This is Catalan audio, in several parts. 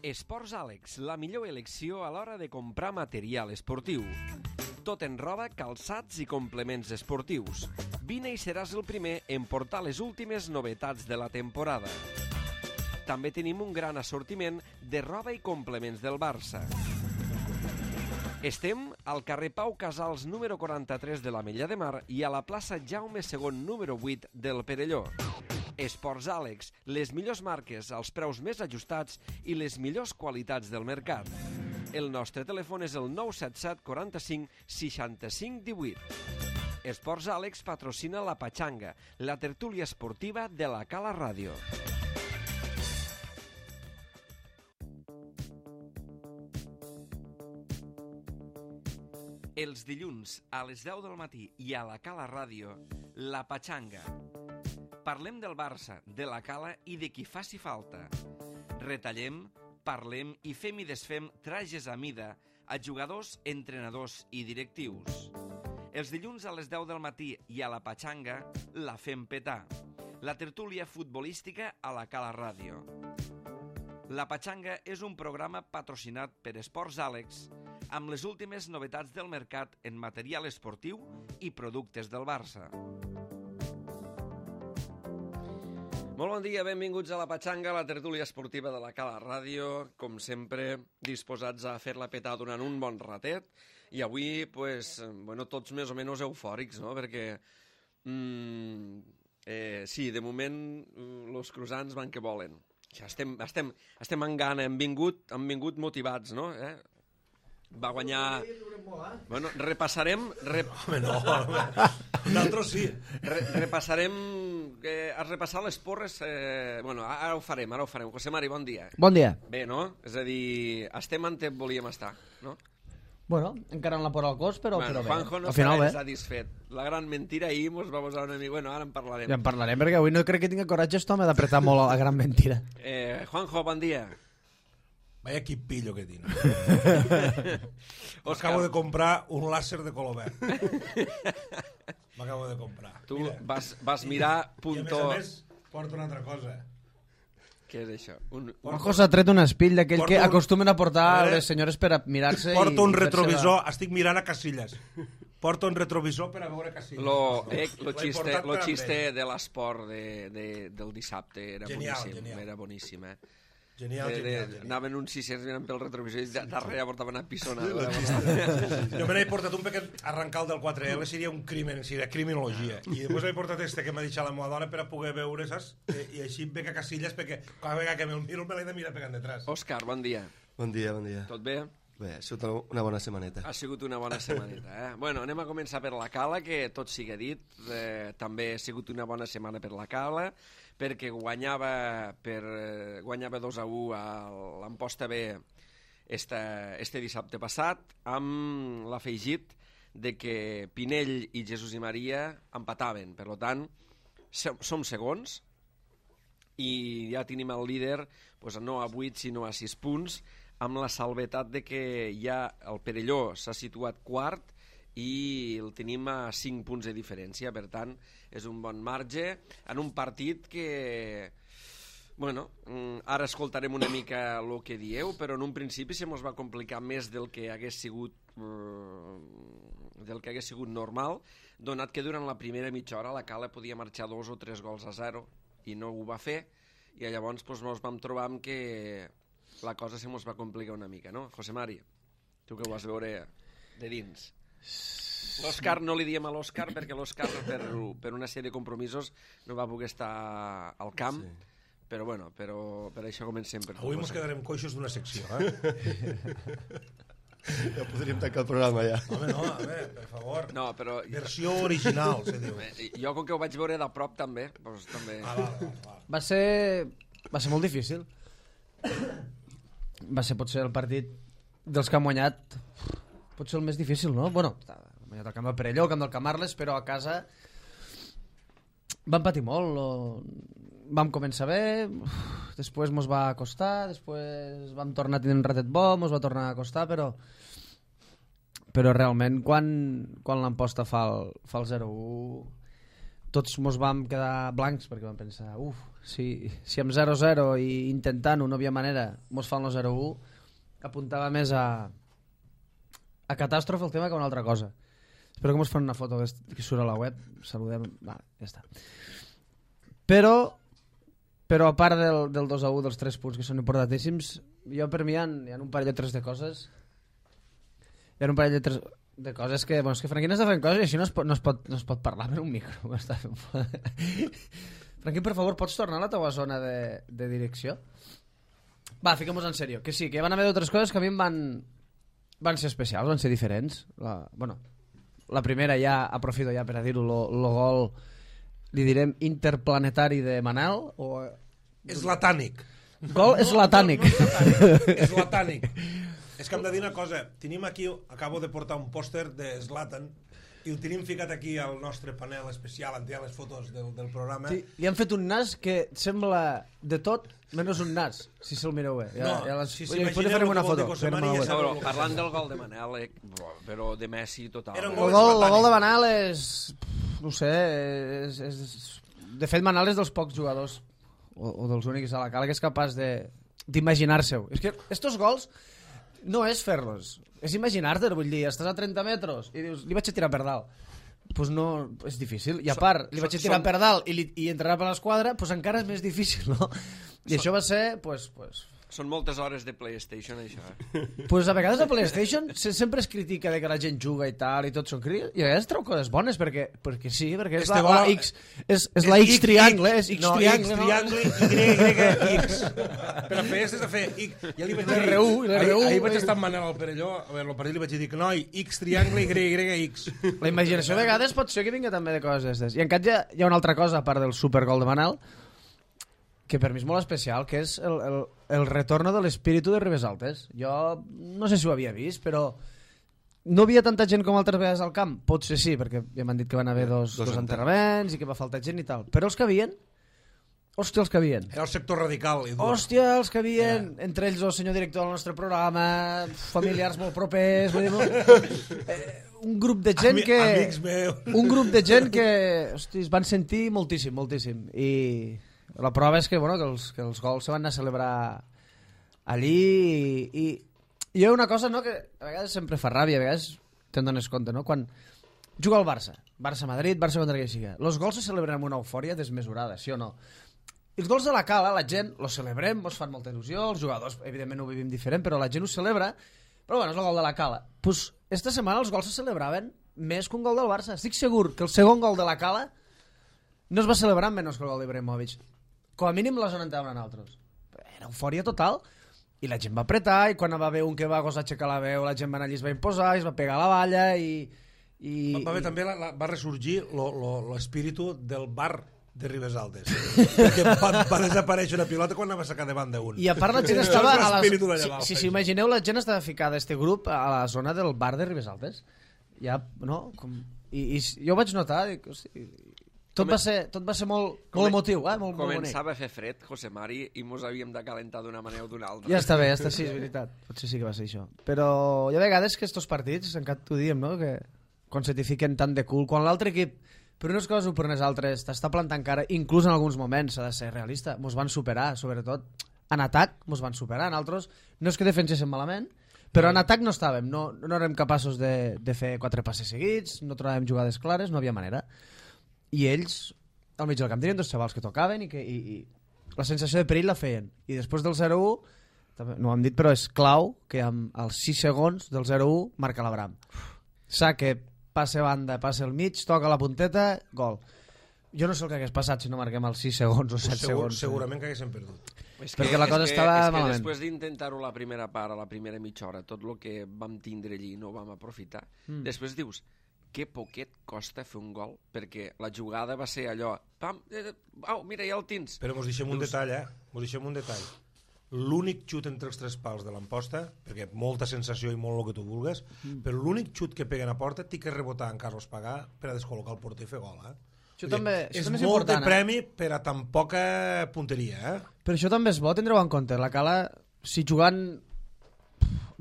Esports Àlex, la millor elecció a l'hora de comprar material esportiu. Tot en roba, calçats i complements esportius. Vine i seràs el primer en portar les últimes novetats de la temporada. També tenim un gran assortiment de roba i complements del Barça. Estem al carrer Pau Casals número 43 de l'Ametlla de Mar i a la plaça Jaume II número 8 del Perelló. Esports Àlex, les millors marques als preus més ajustats i les millors qualitats del mercat. El nostre telèfon és el 977 45 65 18. Esports Àlex patrocina la Patxanga, la tertúlia esportiva de la Cala Ràdio. Els dilluns a les 10 del matí i a la Cala Ràdio, la Patxanga. Parlem del Barça, de la Cala i de qui faci falta. Retallem, parlem i fem i desfem trajes a mida a jugadors, entrenadors i directius. Els dilluns a les 10 del matí i a la Patxanga la fem petar. La tertúlia futbolística a la Cala Ràdio. La Patxanga és un programa patrocinat per Esports Àlex amb les últimes novetats del mercat en material esportiu i productes del Barça. Molt bon dia, benvinguts a la Patxanga, la tertúlia esportiva de la Cala Ràdio. Com sempre, disposats a fer-la petar durant un bon ratet. I avui, tots més o menys eufòrics, no? Perquè, sí, de moment, els cruzants van que volen. Ja estem en gana, hem vingut motivats, no? Va guanyar... Bueno, repassarem... Home, no. Nosaltres sí. Repassarem... Has repassat les porres... ara ho farem. José Mari, bon dia. Bon dia. Bé, no? És a dir, estem on volíem estar, no? Bueno, encara en la por al cos, però bé. Juanjo no estarà satisfet. La gran mentira ahir mos va posar una mica... Bueno, ara en parlarem. Ja en parlarem, perquè avui no crec que tingui coratge aquest home d'apretar molt a la gran mentira. Juanjo, bon dia. Vaya quipillo que tiene. Acabo de comprar un láser de color verd. M'acabo de comprar. Tu vas mirar... I a més, porto una altra cosa. Què és això? Juanjo s'ha tret un espill d'aquell que acostumen a portar les senyores per a mirar-se. Porto un retrovisor, estic mirant a Casillas. Porto un retrovisor per a veure Casillas. Lo xiste de l'esport del dissabte era boníssim. Era boníssim, Genial. Anaven uns 600 mirant pel retrovisor i darrere portaven a pisonada. Jo me n'he portat un perquè arrencar el del 4L seria un crimen, seria criminologia. I després m'he portat este que m'ha deixat la meva dona per a poder veure, saps? I així veig a Casillas perquè cada vegada que me'l miro me l'he de mirar pegant detrás. Òscar, bon dia. Bon dia. Tot bé? Bé, ha sigut una bona setmaneta. Ha sigut una bona setmaneta, Bueno, anem a començar per la Cala, que tot sigui dit. També ha sigut una bona setmana per la Cala, perquè guanyava 2-1 a l'Amposta B este dissabte passat, amb l'afegit de que Pinell i Jesús i Maria empataven. Per tant, som segons i ja tenim el líder no a 8 sinó a 6 punts, amb la salvetat de que ja el Perelló s'ha situat quart i el tenim a 5 punts de diferència. Per tant, és un bon marge en un partit que... ara escoltarem una mica el que dieu, però en un principi se mos va complicar més del que hagués sigut normal, donat que durant la primera mitja hora la Cala podia marxar 2 o 3 gols a 0 i no ho va fer, i llavors ens vam trobar amb que la cosa se mos va complicar una mica, no? José Mari, tu que ho vas veure de dins. L'Òscar no li diem a l'Òscar perquè l'Òscar per una sèrie de compromisos no va poder estar al camp, però per això comencem. Avui ens quedarem coixos d'una secció, Ja podríem tancar el programa, ja. Home, no, per favor. No, però... Versió original, se diu. Jo, com que ho vaig veure de prop, també. Va ser molt difícil. Va ser potser el partit dels que han guanyat potser el més difícil, no? Bueno, han guanyat el camp del Perelló, el camp del Camarles, però a casa vam patir molt. Vam començar bé, després mos va costar, després vam tornar a tenir un ratet bo, mos va tornar a costar, però realment quan l'Amposta fa el 0-1 tots mos vam quedar blancs perquè vam pensar, si amb 0-0 i intentant-ho no havia manera mos fa el 0-1, apuntava més a catàstrofe el tema que a una altra cosa. Espero que mos fan una foto que surt a la web. Saludem. Va, ja està. Però a part del 2-1, dels 3 punts que són importantíssims, jo per mi hi ha un parell o tres de coses. Hi ha un parell de coses que... Bueno, és que Franquín està fent coses i així no es pot parlar per un micro. Franquín, per favor, pots tornar a la teva zona de direcció? Va, fiquem-nos en sèrio. Que sí, que van haver d'altres coses que a mi em van ser especials, van ser diferents. La primera ja, aprofito ja per a dir-ho, el gol, li direm, interplanetari de Manel, o... Eslatànic. Gol eslatànic. Eslatànic. És que hem de dir una cosa. Tenim aquí, acabo de portar un pòster de Zlatan i el tenim ficat aquí al nostre panel especial on hi ha les fotos del programa. Sí, li han fet un nas que sembla de tot menys un nas, si se'l mireu bé. Si s'imagineu farem una el foto. gol de Cosemani ja sabeu el que Parlant del gol de Manel, però de Messi total. Era un El gol de Manel és... No sé, de fet Manel és dels pocs jugadors o dels únics a la cala que és capaç d'imaginar-se-ho. És que estos gols no és fer-los, és imaginar-te, vull dir, estàs a 30 metres i dius, li vaig a tirar per dalt. Pues no, és difícil. I a part, li vaig a tirar per dalt i entrarà per l'esquadra, pues encara és més difícil, no? I això va ser, pues... Són moltes hores de PlayStation, això. Pues a vegades a PlayStation sempre es critica de que la gent juga i tal, i tot són crítics, i a vegades treu coses bones, perquè sí, perquè és la X, és la X triangle, és X triangle, no? X triangle, Y, X. Per a fer és de fer X. Ja li vaig dir, ahir vaig estar amb Manel al Perelló, a veure, el partit li vaig dir que noi, X triangle, Y, X. La imaginació a vegades pot ser que vinga també de coses d'aquestes. I en canvi hi ha una altra cosa, a part del supergol de Manel, que per mi és molt especial, que és el retorno de l'espíritu de Ribes Altes. Jo no sé si ho havia vist, però no havia tanta gent com altres vegades al camp. Potser sí, perquè ja m'han dit que van haver dos enterraments i que va faltar gent i tal. Però els que havien, hòstia, els que havien. Era el sector radical. Hòstia, els que havien, entre ells el senyor director del nostre programa, familiars molt propers, vull dir, un grup de gent que... Amics meus. Un grup de gent que, hòstia, es van sentir moltíssim, moltíssim. I... la prova és que, bueno, que els gols se van anar a celebrar allí i hi ha una cosa, no, que a vegades sempre fa ràbia, a vegades te'n dones compte, no? Quan juga el Barça-Madrid, Barça contra qui sigui, els gols se celebren amb una eufòria desmesurada, sí o no? I els gols de la cala, la gent los celebrem, ens fan molta il·lusió, els jugadors evidentment ho vivim diferent, però la gent ho celebra, però bueno, és el gol de la cala. Pues esta setmana els gols se celebraven més que un gol del Barça. Estic segur que el segon gol de la cala no es va celebrar menys que el gol d'Ibrahimovic. Com a mínim la zona entraven altres. Era eufòria total i la gent va apretar i quan va haver un que va gosar aixecar la veu la gent va anar allí, es va imposar, es va pegar a la valla i... Va haver també, va ressorgir l'espíritu del bar de Ribes Altes. Perquè va desaparèixer una pilota quan anava a sacar davant d'un. I a part la gent estava... Si s'imagineu, la gent estava ficada a este grup a la zona del bar de Ribes Altes. Ja, no? I jo ho vaig notar, dic, hosti... Tot va ser molt emotiu, molt bonic. Començava a fer fred, José Mari, i mos havíem de calentar d'una manera o d'una altra. Ja està bé, sí, és veritat. Potser sí que va ser això. Però hi ha vegades que estos partits, encara t'ho diem, no? Que quan se t'hi fiquen tant de cul, quan l'altre equip, per unes coses o per unes altres, t'està plantant cara, inclús en alguns moments, s'ha de ser realista, mos van superar, sobretot en atac, mos van superar, en altres no és que defenséssim malament, però en atac no estàvem, no érem capaços de fer 4 passes seguits, no trobàvem jugades clares, no havia manera. I ells, al mig del camp, tenien 2 xavals que tocaven i la sensació de perill la feien. I després del 0-1, no ho hem dit, però és clau que amb els 6 segons del 0-1 marca l'Abraham. Saque, passe banda, passe al mig, toca la punteta, gol. Jo no sé el que hagués passat si no marquem els 6 segons o 7 segons. Segurament que haguéssim perdut. Perquè la cosa estava malament. Després d'intentar-ho la primera part, a la primera mitja hora, tot el que vam tindre allí no ho vam aprofitar, després dius... que poquet costa fer un gol, perquè la jugada va ser allò, pam, mira, ja el tens. Però mos deixem un detall, mos deixem un detall. L'únic xut entre els 3 pals de l'Amposta, perquè molta sensació i molt el que tu vulgues, però l'únic xut que peguen a porta té que rebotar en Carlos Pagà per a descol·locar el porter i fer gol, Això també és molt de premi per a tan poca punteria, Però això també és bo, tindreu en compte. La Cala, si jugant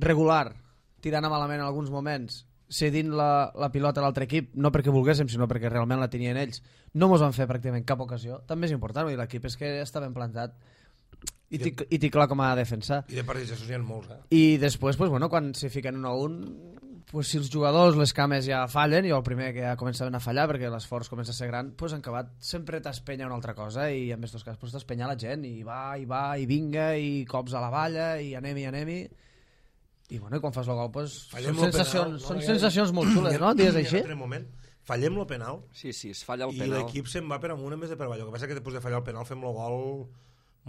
regular, tirant a malament en alguns moments, cedint la pilota a l'altre equip, no perquè volguéssim, sinó perquè realment la tenien ells. No mos van fer pràcticament cap ocasió. També és important, vull dir, l'equip és que està ben plantat i té clar com ha de defensar. I de partits d'això n'hi ha molts, I després, pues, bueno, quan se fiquen 1-1, pues, si els jugadors, les cames ja fallen, jo el primer que ja començaven a fallar perquè l'esforç comença a ser gran, pues, en acabat sempre t'espenya una altra cosa i en aquests casos pues, t'espenya la gent i va, i vinga, i cops a la valla, i anem-hi. I, bueno, i quan fas el gol, pues, són sensacions molt xules, no? Dies així? Fallem el penal. Sí, es falla el i penal. I l'equip se'n va per amunt en vez de per avall. El que passa és que després de fallar el penal fem el gol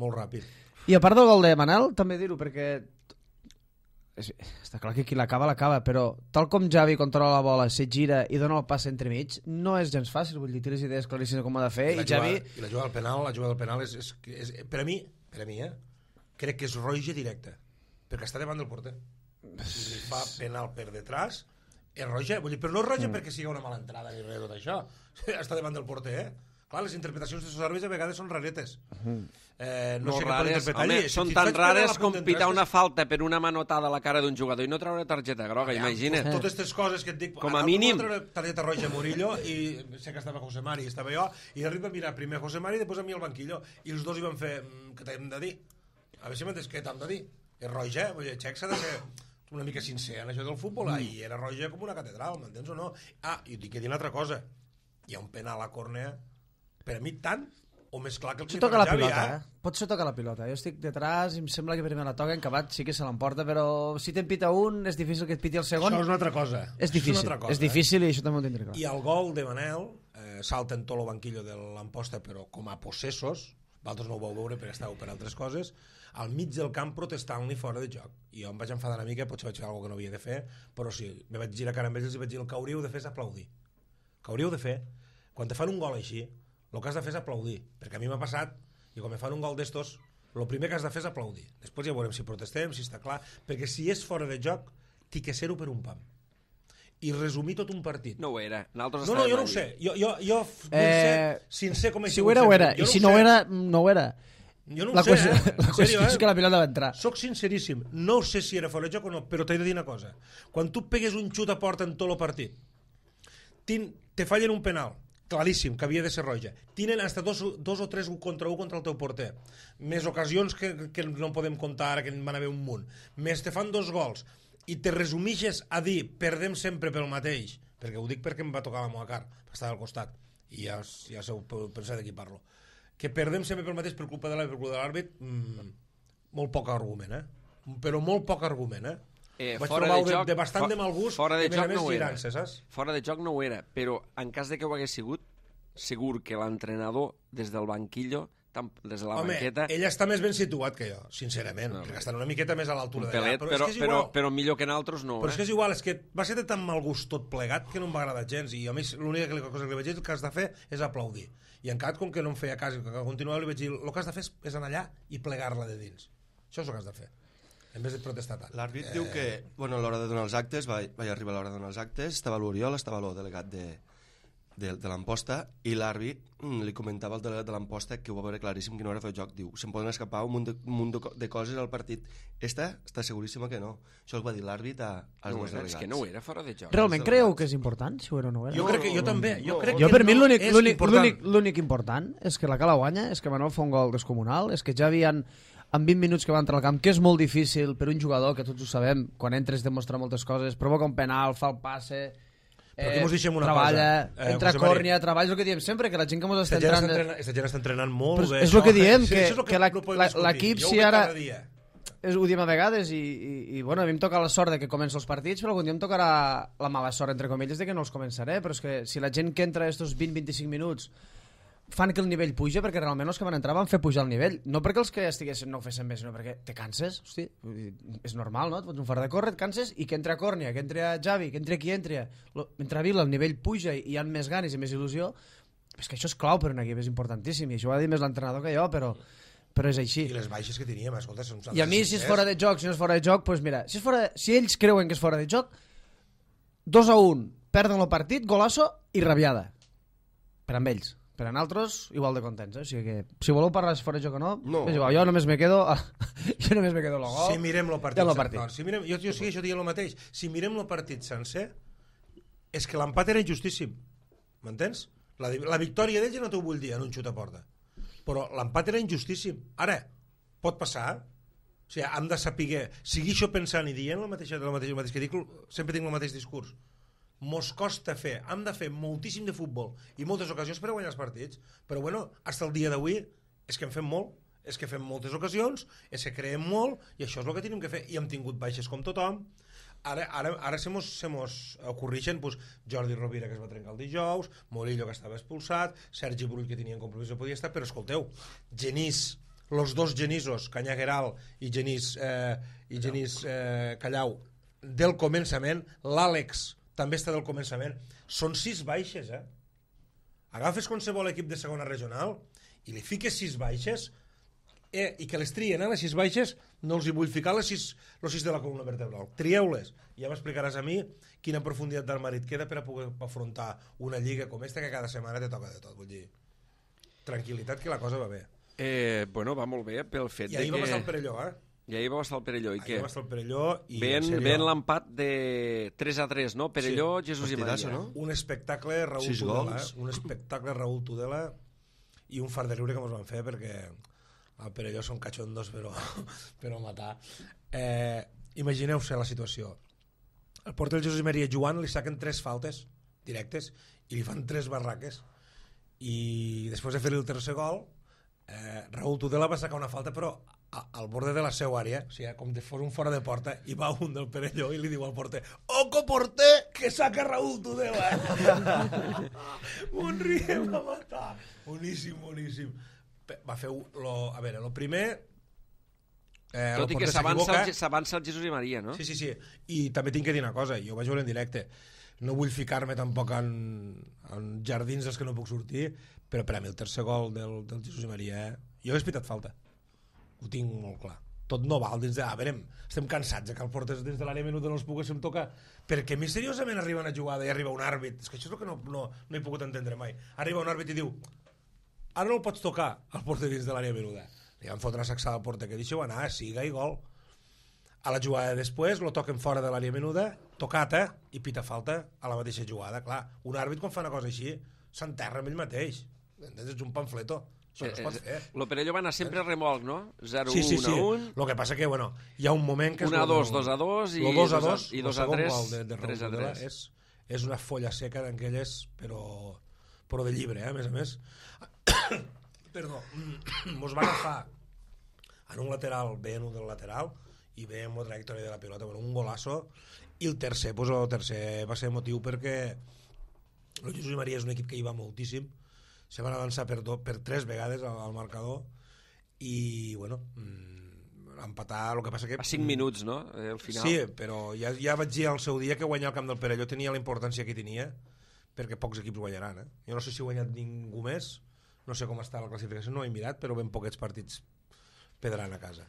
molt ràpid. I a part del gol de Manel, també dir-ho, perquè està clar que qui l'acaba, però tal com Javi controla la bola, se gira i dona el pas entremig, no és gens fàcil, vull dir, té les idees claríssimes com ha de fer, i Javi... I la jugada del penal és per a mi, crec que és roja directa, perquè està davant del porter. Si li fa penal per detrás, és roja, vull dir, però no és roja perquè sigui una mala entrada ni res de tot això, està davant del porter, Clar, les interpretacions dels àrbitres a vegades són raretes. No sé què pot interpretar allí. Són tan rares com pitar una falta per una manotada a la cara d'un jugador i no treure targeta groga, imagina't. Totes aquestes coses que et dic... Com a mínim... Targeta roja a Murillo i sé que estava José Mari i estava jo i arriba a mirar primer José Mari i després a mi al banquillo i els dos hi van fer què t'hem de dir? A veure si m'entens què t'hem de dir? És roja, vull dir, Xec s'ha de ser una mica sincer en això del futbol i era roja com una catedral, m'entens o no? I dic que dir una altra cosa, hi ha un penal a córnea per a mi tant o més clar que el que toca la pilota, Potser toca la pilota. Jo estic detrás i em sembla que primer la toca, en acabat sí que se l'emporta, però si te'n pita un és difícil que et piti el segon. Això és una altra cosa. És difícil i això també ho tindré clar. I el gol de Manel salta en tot el banquillo de l'Amposta, però com a possessos, vosaltres no ho vau veure perquè estàveu per altres coses, al mig del camp protestant-li fora de joc. I jo em vaig enfadar una mica, potser vaig fer alguna que no havia de fer, però sí, me vaig girar cara amb ells i vaig dir el que hauríeu de fer és aplaudir. El que hauríeu de fer, quan te fan un gol així, el que has de fer és aplaudir, perquè a mi m'ha passat i quan me fan un gol d'estos el primer que has de fer és aplaudir, després ja veurem si protestem, si està clar, perquè si és fora de joc t'hi que ser-ho per un pam i resumir tot un partit. No ho era, no, jo no ho sé, jo vull ser sincer com si ho era, ho era, i si no ho era, no ho era. Jo no ho sé, la qüestió és que la pilota va entrar. Soc sinceríssim, no sé si era fora de joc o no, però t'he de dir una cosa, quan tu pegues un xut a porta en tot el partit te fallen un penal claríssim, que havia de ser roja. Tenen hasta dos o tres contra el teu porter. Més ocasions que no podem comptar ara, que en van haver un munt. Més te fan 2 gols i te resumixes a dir perdem sempre pel mateix, perquè ho dic perquè em va tocar la meva car, estava al costat, i ja sabeu pensar de qui parlo. Que perdem sempre pel mateix per culpa de l'àrbit, molt poc argument, però molt poc argument, vaig trobar de bastant de mal gust fora de joc no ho era. Fora de joc no ho era, però en cas de que ho hagués sigut, segur que l'entrenador des del banquillo, des de la banqueta... Ell està més ben situat que jo, sincerament, perquè estan una miqueta més a l'altura d'allà, però millor que en altres no. Però és que és igual, és que va ser de tan mal gust tot plegat que no em va agradar gens, i a mi l'única cosa que li vaig dir que has de fer és aplaudir, i en cas com que no em feia cas i que continuava li vaig dir el que has de fer és anar allà i plegar-la de dins, això és el que has de fer en vez de protestar tant. L'àrbit diu que, bueno, a l'hora de donar els actes, vaig arribar a l'hora de donar els actes, estava l'Oriol, estava el delegat de l'Amposta, i l'àrbit li comentava al delegat de l'Amposta que ho va veure claríssim que no era fer joc. Diu, se'n poden escapar un munt de coses al partit. Està seguríssima que no. Això el va dir l'àrbit als dos delegats. És que no ho era fora de joc. Realment creieu que és important, si ho era o no ho era? Jo crec que jo també. Jo per mi l'únic important és que la Cala guanya, és que Manuel fa un gol descomunal, és que ja havien en 20 minuts que va entrar al camp, que és molt difícil per un jugador, que tots ho sabem, quan entres demostra moltes coses, provoca un penal, fa el passe, treballa, entra a còrnia, treballa, és el que diem sempre, que la gent que ens està entrant... Aquesta gent està entrenant molt bé. És el que diem, que l'equip, si ara... Ho diem a vegades, i bueno, a mi em toca la sort de que comença els partits, però algun dia em tocarà la mala sort, entre comilles, de que no els començaré, però és que si la gent que entra estos 20-25 minuts fan que el nivell puja, perquè realment els que van entrar van fer pujar el nivell, no perquè els que estiguessin no ho fessin bé, sinó perquè te canses, hosti, és normal, no? Et fots un fora de córrer, et canses, i que entra Còrnia, que entra Javi, que entra qui entra Vila, el nivell puja i hi ha més ganes i més il·lusió, és que això és clau per un equip, és importantíssim, i això ho ha dit més l'entrenador que jo, però és així. I les baixes que teníem, escolta, són... I a mi, si és fora de joc, si no és fora de joc, doncs mira, si ells creuen que és fora de joc, 2-1, perden el partit, golasso i rabiada, per amb ells. Per a nosaltres, igual de contents, O sigui que, si voleu parlar de fora de joc o no, és igual, jo només me quedo el gol. Si mirem el partit sencer, jo sí, això diria el mateix. Si mirem el partit sencer, és que l'empat era injustíssim, m'entens? La victòria d'ells ja no t'ho vull dir en un xut a porta, però l'empat era injustíssim. Ara, pot passar, o sigui, hem de saber seguir això pensant i dient el mateix que dic, sempre tinc el mateix discurs. Mos costa fer, hem de fer moltíssim de futbol i moltes ocasions per a guanyar els partits, però bueno, fins al dia d'avui és que en fem molt, és que fem moltes ocasions, és que creem molt i això és el que tenim que fer, i hem tingut baixes com tothom. Ara se mos ocorreixen pues, Jordi Rovira, que es va trencar el dijous, Morillo, que estava expulsat, Sergi Brull, que tenia compromís, no podia estar, però escolteu, Genís, los dos Genisos, Canyagueral i Genís Callau, del començament, l'Àlex també està del començament, són 6 baixes, agafes qualsevol equip de segona regional i li fiques 6 baixes i que les trien, les 6 baixes no els hi vull ficar les 6 de la columna vertebral, trieu-les, ja m'explicaràs a mi quina profunditat d'armari et queda per a poder afrontar una lliga com esta que cada setmana te toca de tot, vull dir, tranquil·litat, que la cosa va bé. Bueno, va molt bé pel fet i ahir de va passar el Perelló, I ahir va estar el Perelló, i què? Ahir va estar el Perelló i Ben l'empat de 3-3, no? Perelló, sí. Jesús i Maria. No? Un espectacle Raúl Tudela, un espectacle Raúl Tudela i un fart de riure que ens van fer perquè el Perelló són cachondos però matar. Imagineu-se la situació. El porter Jesús i Maria Joan li saquen 3 faltes directes i li fan 3 barraques i després de fer-li el tercer gol Raúl Tudela va sacar una falta però al borde de la seva àrea, o sigui, com de fos un fora de porta, i va un del Perelló i li diu al porter: "Oco porter, que saca Raúl Tudela!" Un riem a matar. Boníssim. Va fer a veure, el primer tot i que s'avança el Jesús i Maria, no? Sí. I també tinc que dir una cosa, jo vaig veure en directe, no vull ficar-me tampoc en jardins dels que no puc sortir, però per a mi el tercer gol del Jesús i Maria, jo he pitat falta, ho tinc molt clar. Tot no val dins de... veurem, estem cansats que el portes dins de l'àrea menuda no els poguéssim tocar, perquè misteriosament arriba una jugada i arriba un àrbit, és que això és el que no he pogut entendre mai, arriba un àrbit i diu: "Ara no el pots tocar al porter dins de l'àrea menuda". Li van fotre una sacsada al porter que deixeu anar, siga i gol. A la jugada després lo toquen fora de l'àrea menuda, tocat, i pita falta a la mateixa jugada. Clar, un àrbit quan fa una cosa així s'enterra amb ell mateix, és un pamfleto, això no es pot fer. Lo Perelló va anar sempre a remolc, no? 0-1, sí. 1-1. Lo que passa que, bueno, hi ha un moment que... 1-2, 2-2 i 2-2 i 2-3, de 3-3. És una folla seca d'aquelles, però de llibre, a més. Perdó, mos va agafar en un lateral, bé en un del lateral i bé en la trajectòria de la pilota, bueno, un golazo, i el tercer va ser motiu perquè el Jesús i Maria és un equip que hi va moltíssim, se van avançar per 3 vegades al marcador i bueno, empatar, el que passa que... A 5 minuts, no? Al final. Sí, però ja vaig dir al seu dia que guanyar el camp del Perelló tenia la importància que tenia, perquè pocs equips guanyaran, Jo no sé si ha guanyat ningú més, no sé com està la classificació, no he mirat, però ben poquets partits pedran a casa.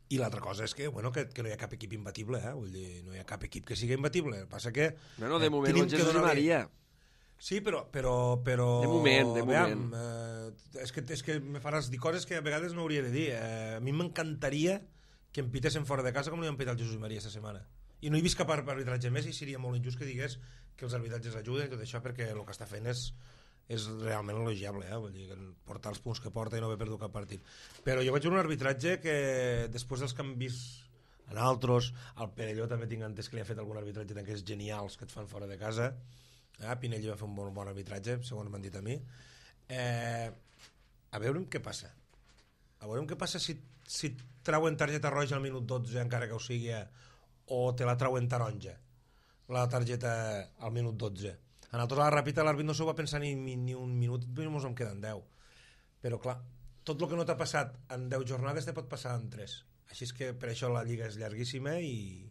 I l'altra cosa és que, bueno, que no hi ha cap equip imbatible, vull dir, no hi ha cap equip que sigui imbatible. El que passa que... Bueno, de moment el Jesús i Maria. Sí, però... De moment. És que me faràs dir coses que a vegades no hauria de dir. A mi m'encantaria que em pitessin fora de casa com li han pitat el Jesús i Maria aquesta setmana. I no he vist cap arbitratge més i seria molt injust que digués que els arbitratges ajuden i tot això, perquè el que està fent és realment elogiable, vull dir, portar els punts que porta i no haver perdut cap partit. Però jo vaig veure un arbitratge que després dels canvis en altres, al Perelló també tinc entès que li ha fet algun arbitratge d'aquests genials que et fan fora de casa. Pinell va fer un bon arbitratge, segons m'han dit a mi. A veure què passa. A veure què passa si trauen targeta roja al minut 12, encara que ho sigui, o te la trauen taronja, la targeta al minut 12. En altres, a la ràpida, l'àrbit no s'ho va pensar ni un minut, ens en queden 10. Però, clar, tot el que no t'ha passat en 10 jornades te pot passar en 3. Així és que per això la lliga és llarguíssima i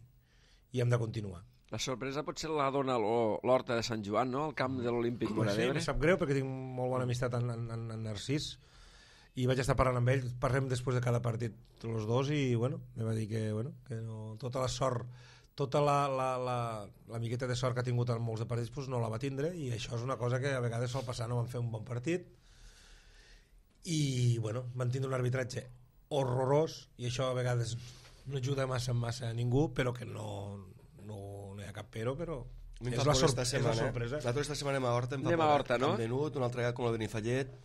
hem de continuar. La sorpresa potser la dona l'Horta de Sant Joan, no? El camp de l'Olímpic Moradebre. Sí, em sap greu perquè tinc molt bona amistat en Narcís i vaig estar parlant amb ell, parlem després de cada partit els dos i, bueno, em va dir que no, tota la sort, tota la miqueta de sort que ha tingut en molts de partits doncs no la va tindre, i això és una cosa que a vegades sol passar, no van fer un bon partit i bueno, van tindre un arbitratge horrorós i això a vegades no ajuda massa a ningú, però que no hi hi ha cap però És és la sorpresa. L'altra esta setmana anem a Horta, Anem a Horta, no? Amb Menut, una altra vegada com el Benifallet.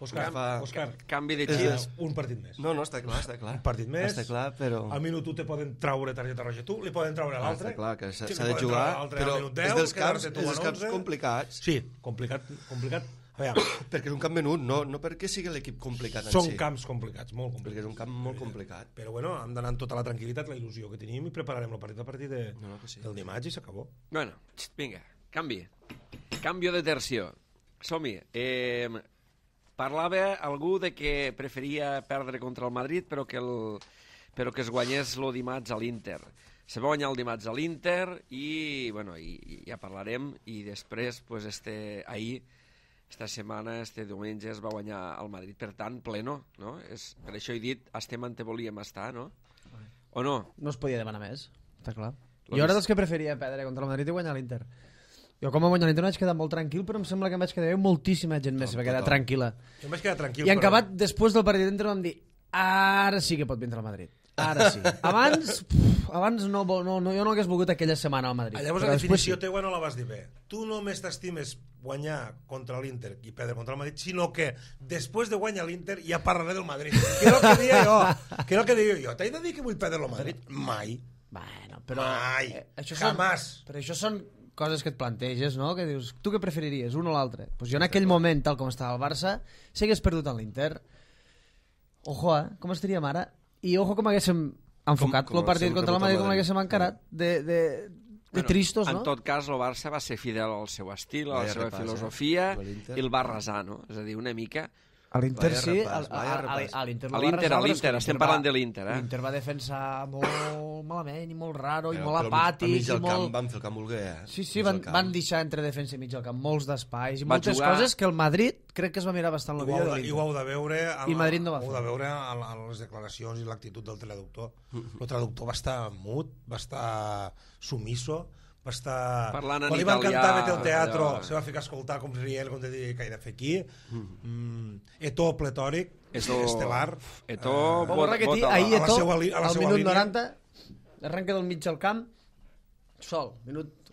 Òscar, Canvi de xips. un partit més. No, està clar. Un partit més. Està clar, però... Al minut 1 te poden traure targeta roja tu, li poden traure a l'altre. Està clar, que s'ha li de poden jugar, treure a l'altre però al minut 10, és dels quedar-te tu camps en 11. complicats. Sí, complicat. A veure, Perquè és un camp menut, no perquè sigui l'equip complicat en són si. camps complicats, molt complicats. Perquè és un camp molt complicat. Però bueno, hem d'anar amb tota la tranquil·litat, la il·lusió que tenim i prepararem el partit a partir del dimarts i s'acabó. Bueno, vinga, Cambio de tercio. Som-hi. Parlava algú de que preferia perdre contra el Madrid, però que es guanyés el dimarts a l'Inter. Se va guanyar el dimarts a l'Inter i, bueno, i ja parlarem. I després, pues, ahir, esta setmana, diumenge, es va guanyar el Madrid. Per tant, pleno, no? Per això he dit, estem on volíem estar, no? O no? No es podia demanar més, està clar. Jo era dels que preferia perdre contra el Madrid i guanyar l'Inter. Jo com a guanyar l'Inter vaig quedar molt tranquil, però em sembla que em vaig quedar moltíssima gent més, va quedar tranquil·la. Jo em vaig quedar tranquil. I en acabat, després del partit d'Inter vam dir, ara sí que pot vindre al Madrid. Ara sí. Abans no, jo no hagués volgut aquella setmana al Madrid. Llavors la definició teua no la vas dir bé. Tu només t'estimes guanyar contra l'Inter i perdre contra el Madrid, sinó que després de guanyar l'Inter ja parlaré del Madrid. Què és el que deia jo? Què és el que deia jo? T'he de dir que vull perdre el Madrid? Mai. Bueno, però... Mai. Jamás. Però això són coses que et planteges, no? Que dius, tu què preferiries, un o l'altre? Pues jo en aquell moment, tal com estava el Barça, si hagués perdut en l'Inter, ojo, com estaríem ara? I ojo com haguéssim enfocat el partit contra el Madrid, com l'haguéssim encarat de tristos, no? En tot cas, el Barça va ser fidel al seu estil, a la seva filosofia, i el va arrasar, no? És a dir, una mica... A l'Inter sí, a l'Inter, estem parlant de l'Inter, eh? L'Inter va defensar molt malament i molt raro i molt apàtic. A mig del camp van fer el camp volguer, eh? Sí, van deixar entre defensa i mig del camp molts d'espais i moltes coses que el Madrid crec que es va mirar bastant el vídeo de l'Inter. I ho heu de veure i Madrid no va fer. Ho heu de veure a les declaracions i l'actitud del traductor. El traductor va estar mut, va estar sumiso, va estar... Parlant en quan li van italià, cantar Vete al teatro, se va ficar a escoltar com rient, com de dir que he de fer aquí. Eto pletòric, estel·lar. Eto, ahir Eto, al minut línia. 90, arranca del mig del camp, sol.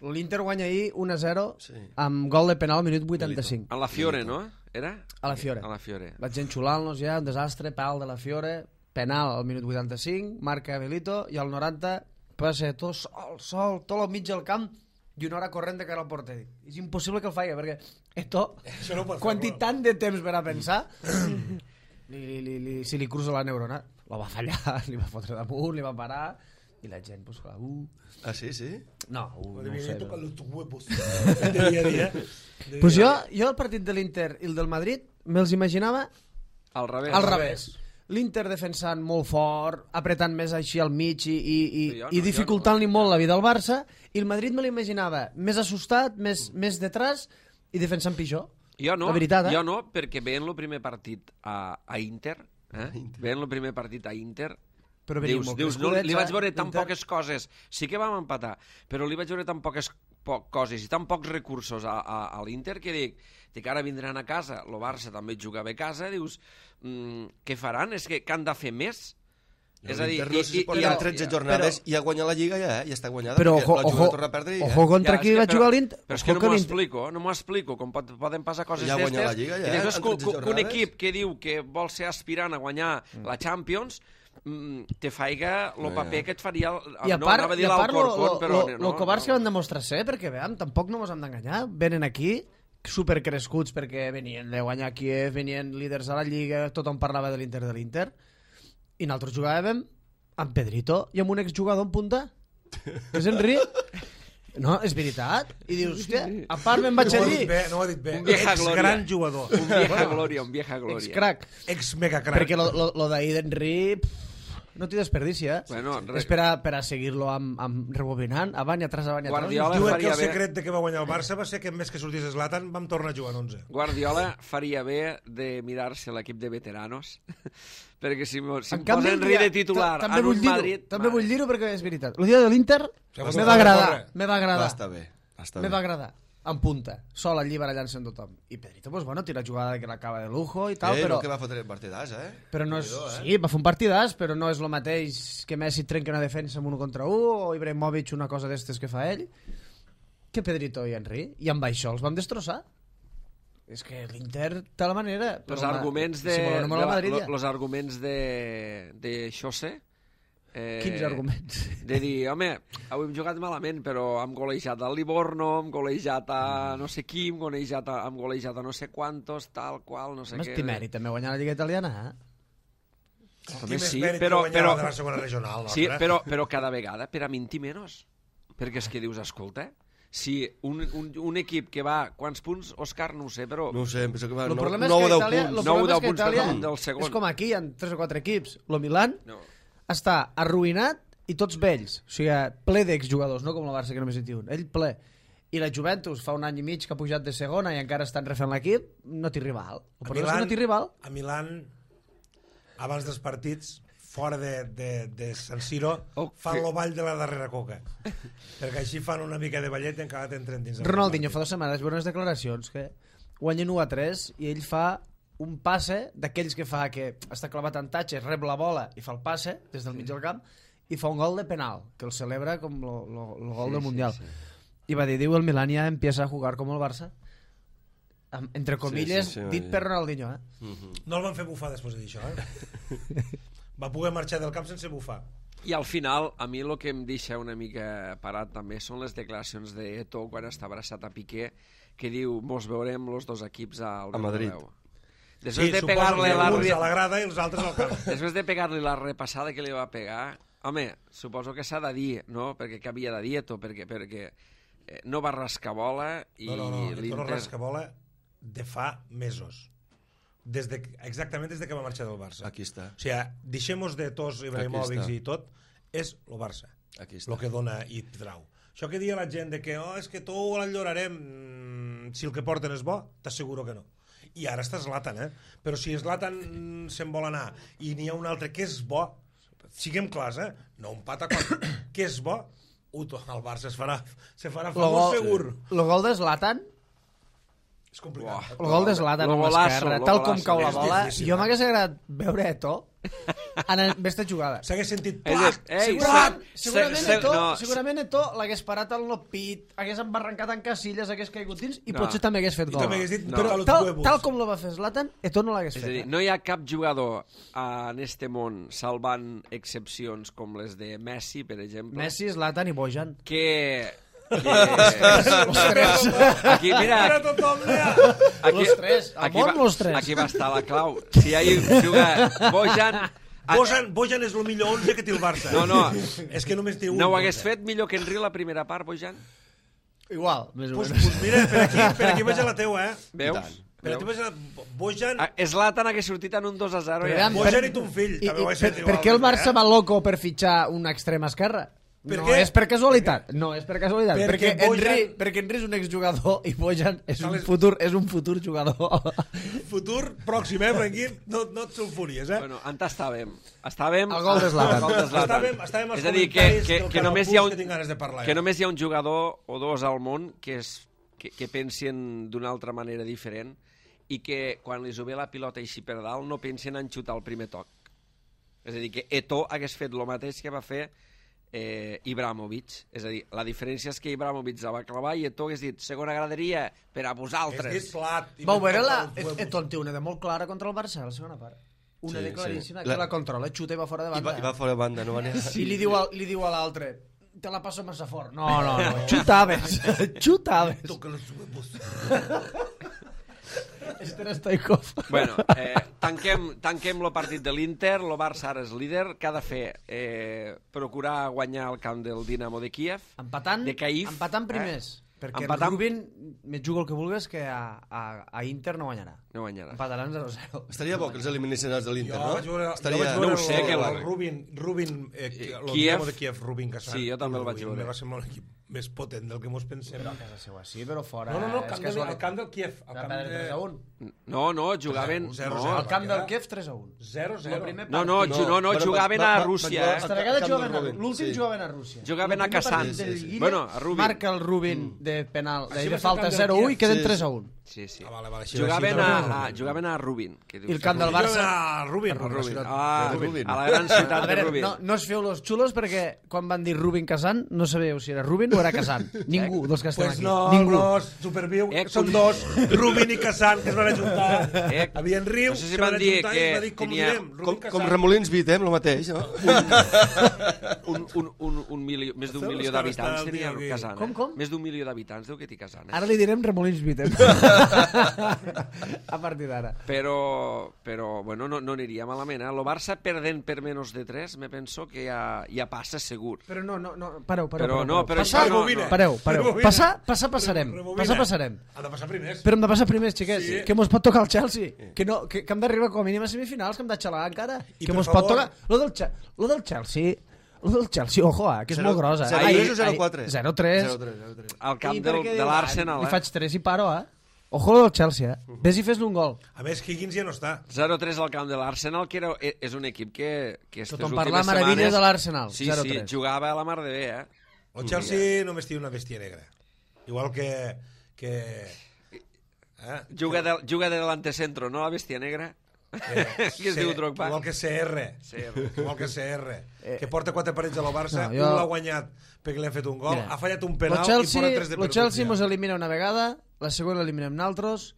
L'Inter guanya ahir 1-0 amb gol de penal al minut 85. A la Fiore, no? Era? A la Fiore. Vaig enxulant-nos ja, un desastre, pal de la Fiore, penal al minut 85, marca Milito, i al 90... passa tot sol, tot al mig del camp i una hora corrent de cara al porter. És impossible que el faci, perquè Eto, quan té tant de temps per a pensar, si li cruza la neurona, la va fallar, li va fotre damunt, li va parar, i la gent, pues clar, Ah, sí? No, no ho sé. Pues jo el partit de l'Inter i el del Madrid me'ls imaginava al revés. L'Inter defensant molt fort, apretant més així al mig i dificultant-li molt la vida al Barça, i el Madrid me l'imaginava més assustat, més detrás i defensant pitjor. Jo no, veritat, jo no, perquè veient el primer partit a Inter, veient el primer partit a Inter, però dius, no, li vaig veure tan poques coses, sí que vam empatar, però li vaig veure tan poques coses i tan pocs recursos a l'Inter que dic, ara vindran a casa, el Barça també jugava a casa, dius, què faran? És que han de fer més? És a dir, hi ha 13 jornades i ha guanyat la Lliga ja està guanyada. Però ojo contra qui va jugar l'Inter. Però és que no m'ho explico, com poden passar coses d'estes. I després que un equip que diu que vol ser aspirant a guanyar la Champions te faiga el paper que et faria el covards que van demostrar ser, perquè veiem, tampoc no ens hem d'enganyar, venen aquí supercrescuts perquè venien de guanyar Kiev, venien líders a la Lliga, tothom parlava de l'Inter i nosaltres jugàvem amb Pedrito i amb un exjugador en punta que és Henry. No, és veritat. I dius, hòstia, a part me'n vaig a dir... No ho ha dit bé. Ex-gran jugador. Un vieja glòria. Ex-crack. Ex-mega-crack. Perquè lo d'ahir d'Henry no t'hi desperdici, eh? Bueno, és per a seguir-lo amb rebobinant, avant i atrás. Diuen que el secret de que va guanyar el Barça va ser que més que sortís Zlatan vam tornar a jugar en 11. Guardiola faria bé de mirar-se l'equip de veteranos, perquè si posa Henry de titular en un Madrid... També vull dir-ho perquè és veritat. El dia de l'Inter me va agradar. Està bé. Me va agradar. en punta, sol allí barallant-se amb tothom. I Pedrito, pues bueno, tira jugada que l'acaba de lujo i tal, però... No que va fotre partidàs, Però no és... Sí, va fer un partidàs, però no és el mateix que Messi trenca una defensa amb 1 contra 1 o Ibrahimovic una cosa d'estes que fa ell, que Pedrito i Henry. I amb això els vam destrossar. És que l'Inter té la manera. Els arguments de... Los arguments de Xose... Quins arguments? De dir, home, avui hem jugat malament, però hem golejat al Livorno, hem golejat a no sé qui, hem golejat a no sé quantos, tal qual, no sé què... Més mèrit també guanyar la Lliga Italiana, També sí, però de la segona regional, sí, però cada vegada per a mintir menys. Perquè és que dius, escolta, si un equip que va... Quants punts, Òscar? No ho sé, però... No ho sé, penso que va 9 o 10 punts. 9 o 10 punts del segon. És com aquí, hi ha 3 o 4 equips. Lo Milan està arruïnat i tots vells. O sigui, ple d'exjugadors, no com el Barça, que només hi té un. Ell ple. I la Juventus fa un any i mig que ha pujat de segona i encara estan refent l'equip, no té rival. El problema és que no té rival. A Milan, abans dels partits, fora de San Siro, fan el ball de la darrera coca. Perquè així fan una mica de ballet i encara t'entren dins. Ronaldinho fa 2 setmanes veure unes declaracions que guanyen 1-3 i ell fa un passe d'aquells que fa que està clavat en tatxes, rep la bola i fa el passe des del mig del camp i fa un gol de penal, que el celebra com el gol del Mundial. I va dir, el Milan ja empieza a jugar com el Barça. Entre comilles, dit per Ronaldinho. No el van fer bufar després de dir això, Va poder marxar del camp sense bufar. I al final, a mi el que em deixa una mica parat també són les declaracions d'Eto quan està abraçat a Piqué, que diu, mos veurem els 2 equips al Madrid. Després de pegar-li a la grada i els altres al camp. Després de pegar-li la repassada que li va pegar, home, suposo que s'ha de dir, no? Perquè què havia de dir Eto? Perquè no va rascar bola i no rasca bola de fa mesos. Exactament des de que va marxar del Barça. Aquí està. O sigui, deixem-nos de tots Ibrahimovic i tot, és el Barça. Aquí està. El que dona i trau. Això que dia la gent de que és que tot l'enllorarem, si el que porten és bo, t'asseguro que no. I ara està Zlatan, però si Zlatan se'n vol anar i n'hi ha un altre que és bo, siguem clars, no un pata quan que és bo, el Barça se farà famós segur. El gol de Zlatan, és complicat. El gol de Zlatan amb l'esquerra, tal com cau la bola, jo m'hagués agradat veure Eto en aquesta jugada. S'hagués sentit segurament Eto l'hagués parat al no-pit, hagués embarrancat en Casillas, hagués caigut dins i potser també hagués fet gol. Tal com lo va fer Zlatan, Eto no l'hagués fet. És a dir, no hi ha cap jugador en este món, salvant excepcions com les de Messi, per exemple, Messi, Zlatan i Bojan, que Ostres. Aquí, mira, los tres, al món los tres. Aquí va estar la clau. Si hi juga Bojan és el millor 11 que té el Barça. No. És que només té un. No ho hagués fet millor que Henry la primera part, Bojan? Igual, més o menys. Pues mira, per aquí vaig a la teua, Veus? Per aquí vaig a Bojan... Zlatan hagués sortit en un 2-0. Bojan i ton fill. Per què el Barça va loco per fitxar una extrema esquerra? No és per casualitat. No és per casualitat. Perquè Henry és un exjugador i Bojan és un futur jugador. Futur pròxim, Franquín? No et sulfuries, Bueno, on estàvem? Estàvem al gol de Zlatan. Estàvem als és a dir, que només hi ha un jugador o dos al món que pensen d'una altra manera diferent i que quan li ve la pilota així per dalt no pensen en xutar el primer toc. És a dir, que Eto'o hagués fet el mateix que va fer Ibrahimovic. És a dir, la diferència és que Ibrahimovic la va clavar i Eto'o hagués dit segona graderia per a vosaltres. Vau veure Eto'o té una de molt clara contra el Barça a la segona part. Una de claríssima, que la controla, xuta i va fora de banda. I va fora de banda, no va anar. I li diu a l'altre, te la passo massa fort. No, xutaves. Toca los huevos. Este Stoikov. Bueno, tanquem el partit de l'Inter, el Barça ara és líder, què ha de fer? Procurar guanyar el camp del Dinamo de Kíev, de Kyiv. Empatant primers, perquè el Rubin me juga el que vulguis que a Inter no guanyarà. Empataran 0-0. Estaria bo que els eliminessin els de l'Inter, no? No ho sé, que el Rubin, el Dinamo de Kíev, Rubin Kassan. Sí, jo també el vaig veure. Va ser molt equip més potent del que mos pensem. Però a casa seva sí, però fora... No, és al camp del Kiev. Al camp de... 3-1. No, jugaven... 0-0. Al camp del Kiev 3-1. 0-0. No, jugaven a Rússia. Aquesta vegada l'últim jugaven a Rússia. Jugaven a Kazan. Bueno, a Rubin. Marca el Rubin de penal, Així de va ser falta el camp del 0-1 i Kiev. queden Sí, 3-1. Sí. Vale, Jugaven a Rubin. I el camp del Barça... A Rubin. Rubin. A A la gran ciutat A de veure, Rubin. no us feu los xulos perquè quan van dir Rubin Kazan no sabíeu si era Rubin o era Kazan. Ningú dels que estem Pues aquí. no, Ningú. Superviu, com- són dos, Rubin i Kazan, que es van ajuntar. Havien riu, no sé si se van van dir ajuntar que i va dir, com tenia- direm, Rubin Com Kazan. Remolins Vitem, el mateix, no? Un milió, més d'un Sabeu milió els que d'habitants estan tenia aquí? Kazan. Com? Més d'un milió d'habitants deu que té Kazan. Ara li direm Remolins Vitem. A partir d'ara. Però bueno, no aniria malament. El Barça perdent per menys de 3, me penso que ja passa segur. Però no, pareu. Però no, però Passar, això no, rebobina. Pareu. Rebobina. Passarem. Rebobina. Passarem. Han de passar primers. Però hem de passar primers, xiquets. Sí. Que mos pot tocar el Chelsea. Que hem d'arribar com a mínim a semifinals, que hem de xalar encara. I Que per mos pot favor- tocar... Lo del Chelsea... Lo del Chelsea, ojo, que és molt grosa. 0-3 o 0-4? 0-3. 0-3. Al camp de l'Arsenal, Li faig 3 i paro, Ojo lo del Chelsea, Ves i fes-li un gol. A més, Higgins ja no està. 0-3 al camp de l'Arsenal, que és un equip que aquestes Tothom últimes parla meravelles setmanes... de l'Arsenal. Sí, 0-3. jugava a la mar de bé, El Chelsea només té una bèstia negra. Igual que Juga de delantecentro, no la bèstia negra? Que es diu Drogba. Igual que CR. Igual que CR. Que porta 4 partits a la Barça, No, jo- un l'ha guanyat perquè li han fet un gol, Mira, ha fallat un penal Lo i porta 3 de perdut. Chelsea ja. mos elimina una vegada, la següent l'eliminem naltros,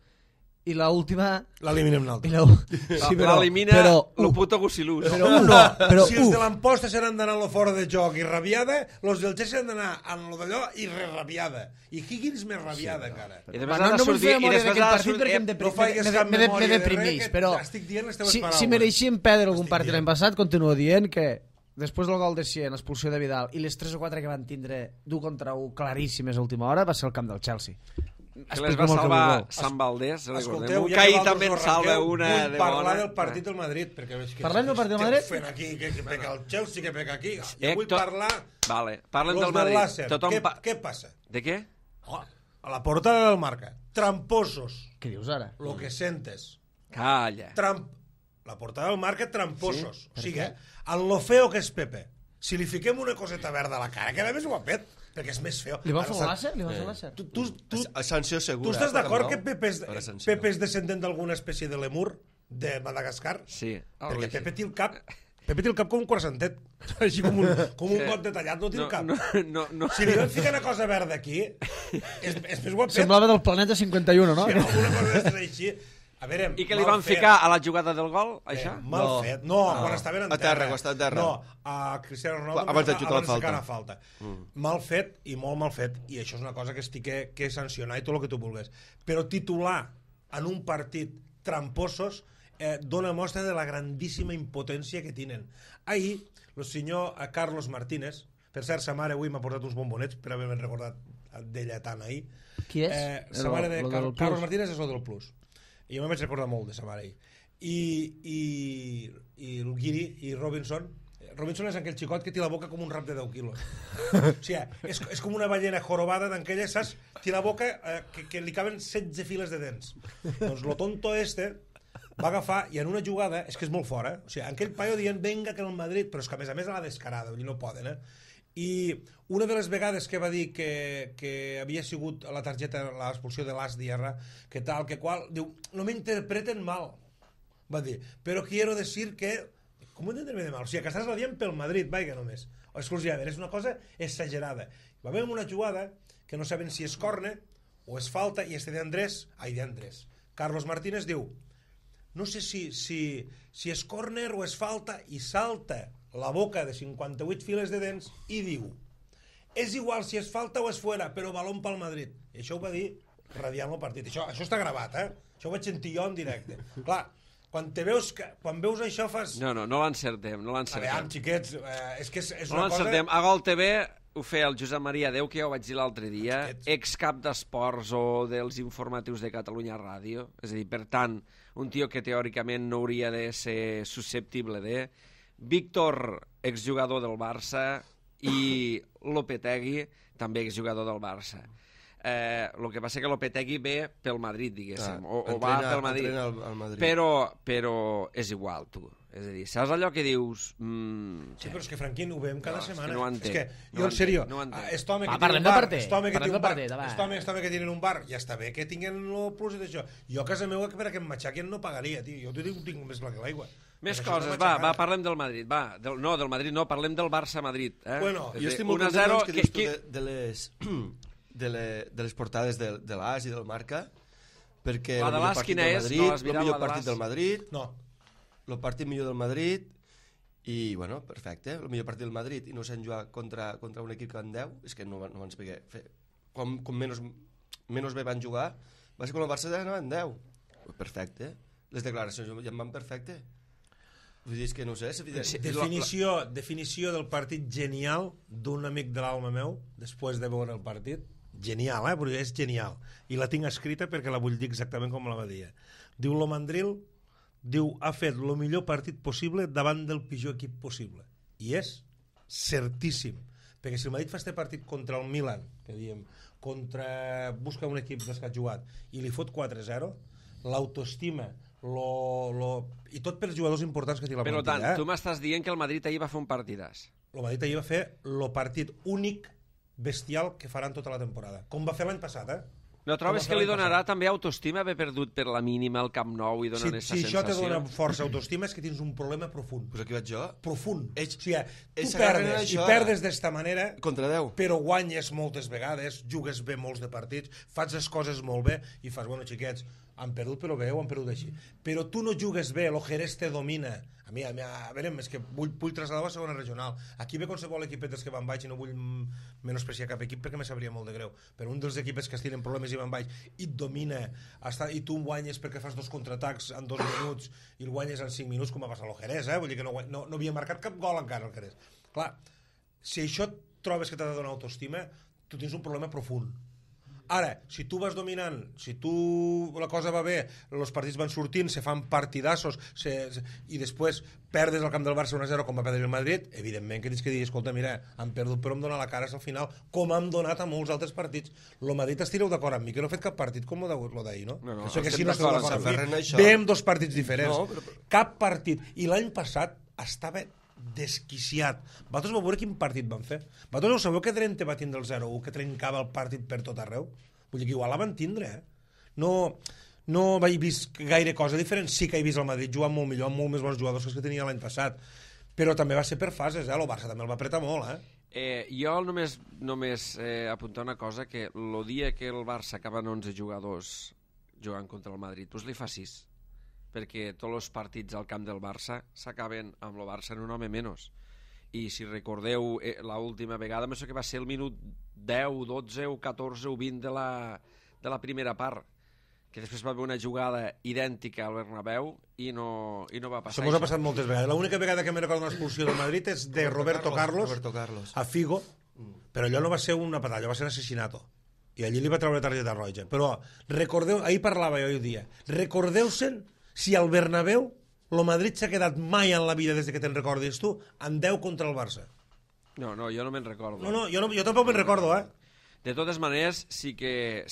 i la última... L'eliminem I l'altre. L'elimina lo puto Gusilús. Però si els de l'Amposta seran d'anar a lo fora de joc i rabiada, els del Chelsea han d'anar a lo d'allò i rabiada. I Higgins més rabiada, encara. I després no ha de vull fer sortir... I memòria després d'aquell ha de partit perquè sortir... no faigues cap me memòria de deprimís, res, que però estic dient les teves paraules. si mereixíem perdre algun Estic partit dient. l'any passat, continuo dient que després del gol de Sien, l'expulsió de Vidal i les 3 o 4 que van tindre d'1 contra 1 claríssimes a última hora va ser el camp del Chelsea. Que les va salvar Sant Valdés, Escolteu, recordem-ho, ja que ahir vosaltres també no en salva arrenqueu, una vull de parlar bona. del partit del Madrid, perquè veig que Parlem del partit del esteu Madrid? fent aquí, que peca el Chelsea, que peca aquí. Jo vull Héctor, parlar Vale, parlem los del Madrid. Làser. Tothom Què passa? De què? Oh, a la portada del Marca. Tramposos. Què dius ara? Lo que sentes. Calla. La portada del Marca, tramposos. O sigui, en lo feo que és Pepe, si li fiquem una coseta verda a la cara, queda més guapet, perquè és més feo. Li van fer un Ara, làser? Li van fer un làser? Tu Sanció segura. tu estàs d'acord que Pepe Pepe és descendent d'alguna espècie de lemur de Madagascar? Sí. Perquè Pepe té el cap... Pepe té el cap com un croissantet. Així com un got detallat, no té el cap. No. Si li vam ficar una cosa verda aquí, és més guapet. Semblava del planeta 51, no? Si alguna cosa és així... A veure, I que li van ficar a la jugada del gol, això? Mal fet. No, quan estaven en A terra, quan estava a terra. No, a Cristiano Ronaldo Abans de xutar la falta. Mal fet i molt mal fet. I això és una cosa que estic que sancionar i tot el que tu vulguis. Però titular en un partit tramposos dona mostra de la grandíssima impotència que tenen. Ahir, el senyor Carlos Martínez, per cert, sa mare avui m'ha portat uns bombonets per haver-me recordat d'ella tant ahir. Qui és? Sa mare de Lo del Carlos Plus. Martínez és el del Plus. I jo me'n vaig recordar molt de sa mare ahir. I el Guiri i Robinson és aquell xicot que té la boca com un rap de 10 quilos. O sigui, és com una ballena jorobada d'aquelles, saps? Té la boca que li caben 16 files de dents. Doncs lo tonto va agafar i en una jugada, és que és molt fora, o sigui, aquell paio dient venga que el Madrid, però és que a més a la descarada, vull dir, no poden, I una de les vegades que va dir que havia sigut a la targeta l'expulsió de l'As Diarra, que tal, que qual, diu, no m'interpreten mal, va dir, però quiero decir que... Com ho entenderme de mal? O sigui, que estàs la dient pel Madrid, vaiga només. O exclusivament, és una cosa exagerada. Va haver una jugada que no saben si és córner o és falta, i d'Andrés, Carlos Martínez diu, no sé si és córner o és falta, i salta la boca de 58 files de dents i diu, és igual si és falta o és fuera, però balón pel Madrid. I això ho va dir radiant el partit. Això està gravat, Això ho vaig sentir jo en directe. Clar, quan veus això fas... No l'encertem, no A l'encertem. veure, xiquets, és que és No una cosa... l'encertem. A Gol TV ho feia el Josep Maria Déu, que ja ho vaig dir l'altre dia, excap d'esports o dels informatius de Catalunya Ràdio. És a dir, per tant, un tio que teòricament no hauria de ser susceptible de... Víctor, exjugador del Barça, i Lopetegui també és jugador del Barça. El que passa que Lopetegui ve pel Madrid, diguéssim, o va pel Madrid. Al Madrid. Però és igual, tu. És a dir, saps allò que dius... Sí, però és que Franquín ho veiem cada setmana. no ho entenc. És que, jo en sèrio, este home que parlem tiene un del bar, partit, este home que parlem té un del bar, partit, va. este home que tiene un bar, ja està bé que tinguen el plus i d'això. Jo a casa meva per a que em matxaquen no pagaria, tio. Jo t'ho dic, ho tinc més clar que l'aigua. Més coses, va, parlem del Madrid. Va, del Madrid no, parlem del Barça-Madrid. Bueno, jo estic molt content que dius tu de les portades de l'AS i del Marca, perquè la de l'AS quina és? No l'has mirat, el millor la de partit l'AS? del Madrid, No. el partit millor del Madrid, i, bueno, perfecte, el millor partit del Madrid, i no s'han jugat contra un equip que van 10, és que no van saber fer. Com menys bé van jugar, va ser quan el Barça anaven 10. Perfecte, les declaracions ja en van perfecte. Vull dir, és que no sé... Definició del partit genial d'un amic de l'alma meu, després de veure el partit. Genial, perquè és genial. I la tinc escrita perquè la vull dir exactament com la va dir. Diu Lomandril, ha fet el millor partit possible davant del pitjor equip possible. I és certíssim. Perquè si el Madrid fa este partit contra el Milan, que diem, busca un equip dels que ha jugat, i li fot 4-0, l'autoestima, i tot pels jugadors importants que té la plantilla. Per tant, tu m'estàs dient que el Madrid ahir va fer un partidàs. El Madrid ahir va fer el partit únic bestial que faran tota la temporada. Com va fer l'any passat, No trobes que li donarà també autoestima haver perdut per la mínima el Camp Nou i donar aquesta sensació? Si això te dona força autoestima és que tens un problema profund. Pues aquí vaig jo. Profund. O sigui, tu perdes, i perdes d'esta manera, contra 10. Però guanyes moltes vegades, jugues bé molts de partits, fas les coses molt bé i fas, bueno, xiquets, han perdut però bé o han perdut així. Però tu no jugues bé, el Jerez te domina. A veure, és que vull traslladar a segona regional. Aquí ve qualsevol equipet dels que van baix i no vull menospreciar cap equip perquè me sabria molt de greu. Però un dels equipes que es tiren problemes i van baix i et domina, i tu guanyes perquè fas 2 contraatacs en 2 minuts i el guanyes en 5 minuts com va passar el Jerez, vull dir que no havia marcat cap gol encara el Jerez. Clar, si això trobes que t'ha de donar autoestima, tu tens un problema profund. Ara, si tu vas dominant, si la cosa va bé, els partits van sortint, se fan partidassos i després perdes al camp del Barça 1-0 com va perdre el Madrid, evidentment que tens que dir, escolta, mira, han perdut però em dona la cara al final, com han donat a molts altres partits. El Madrid estireu d'acord amb mi, que no ha fet cap partit com el d'ahir, no? No, que si no esteu d'acord amb mi, ve amb 2 partits diferents. Cap partit. I l'any passat estava desquiciat. Vosaltres vau veure quin partit van fer? Vosaltres ho sabeu que Drenthe va tindre el 0-1, que trencava el partit per tot arreu? Vull dir que igual la van tindre, No vaig vist gaire cosa diferent. Sí que he vist el Madrid jugant molt millor, amb molt més bons jugadors que tenia l'any passat. Però també va ser per fases, El Barça també el va apretar molt, Jo només apuntar una cosa, que el dia que el Barça acaben 11 jugadors jugant contra el Madrid, doncs li fa 6. Perquè tots els partits al camp del Barça s'acaben amb el Barça en un home menys. I si recordeu l'última vegada, penso que va ser el minut 10, 12 o 14 o 20 de la primera part, que després va haver una jugada idèntica al Bernabéu i no va passar això. Això ha passat moltes vegades. L'única vegada que me recordo una expulsió del Madrid és de Roberto Carlos a Figo, però allò no va ser una patalla, va ser un assassinato. I allí li va treure targeta roja. Però recordeu, ahir parlava jo i dia, recordeu-se'n si al Bernabéu el Madrid s'ha quedat mai en la vida des que te'n recordis tu en 10 contra el Barça. No, jo no me'n recordo. Jo tampoc me'n recordo, De totes maneres, sí que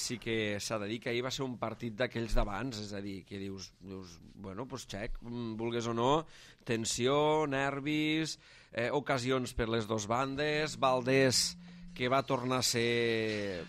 s'ha de dir que ahir va ser un partit d'aquells d'abans, és a dir, que dius bueno, doncs xec, vulgues o no, tensió, nervis, ocasions per les dues bandes, Valdés, que va tornar a ser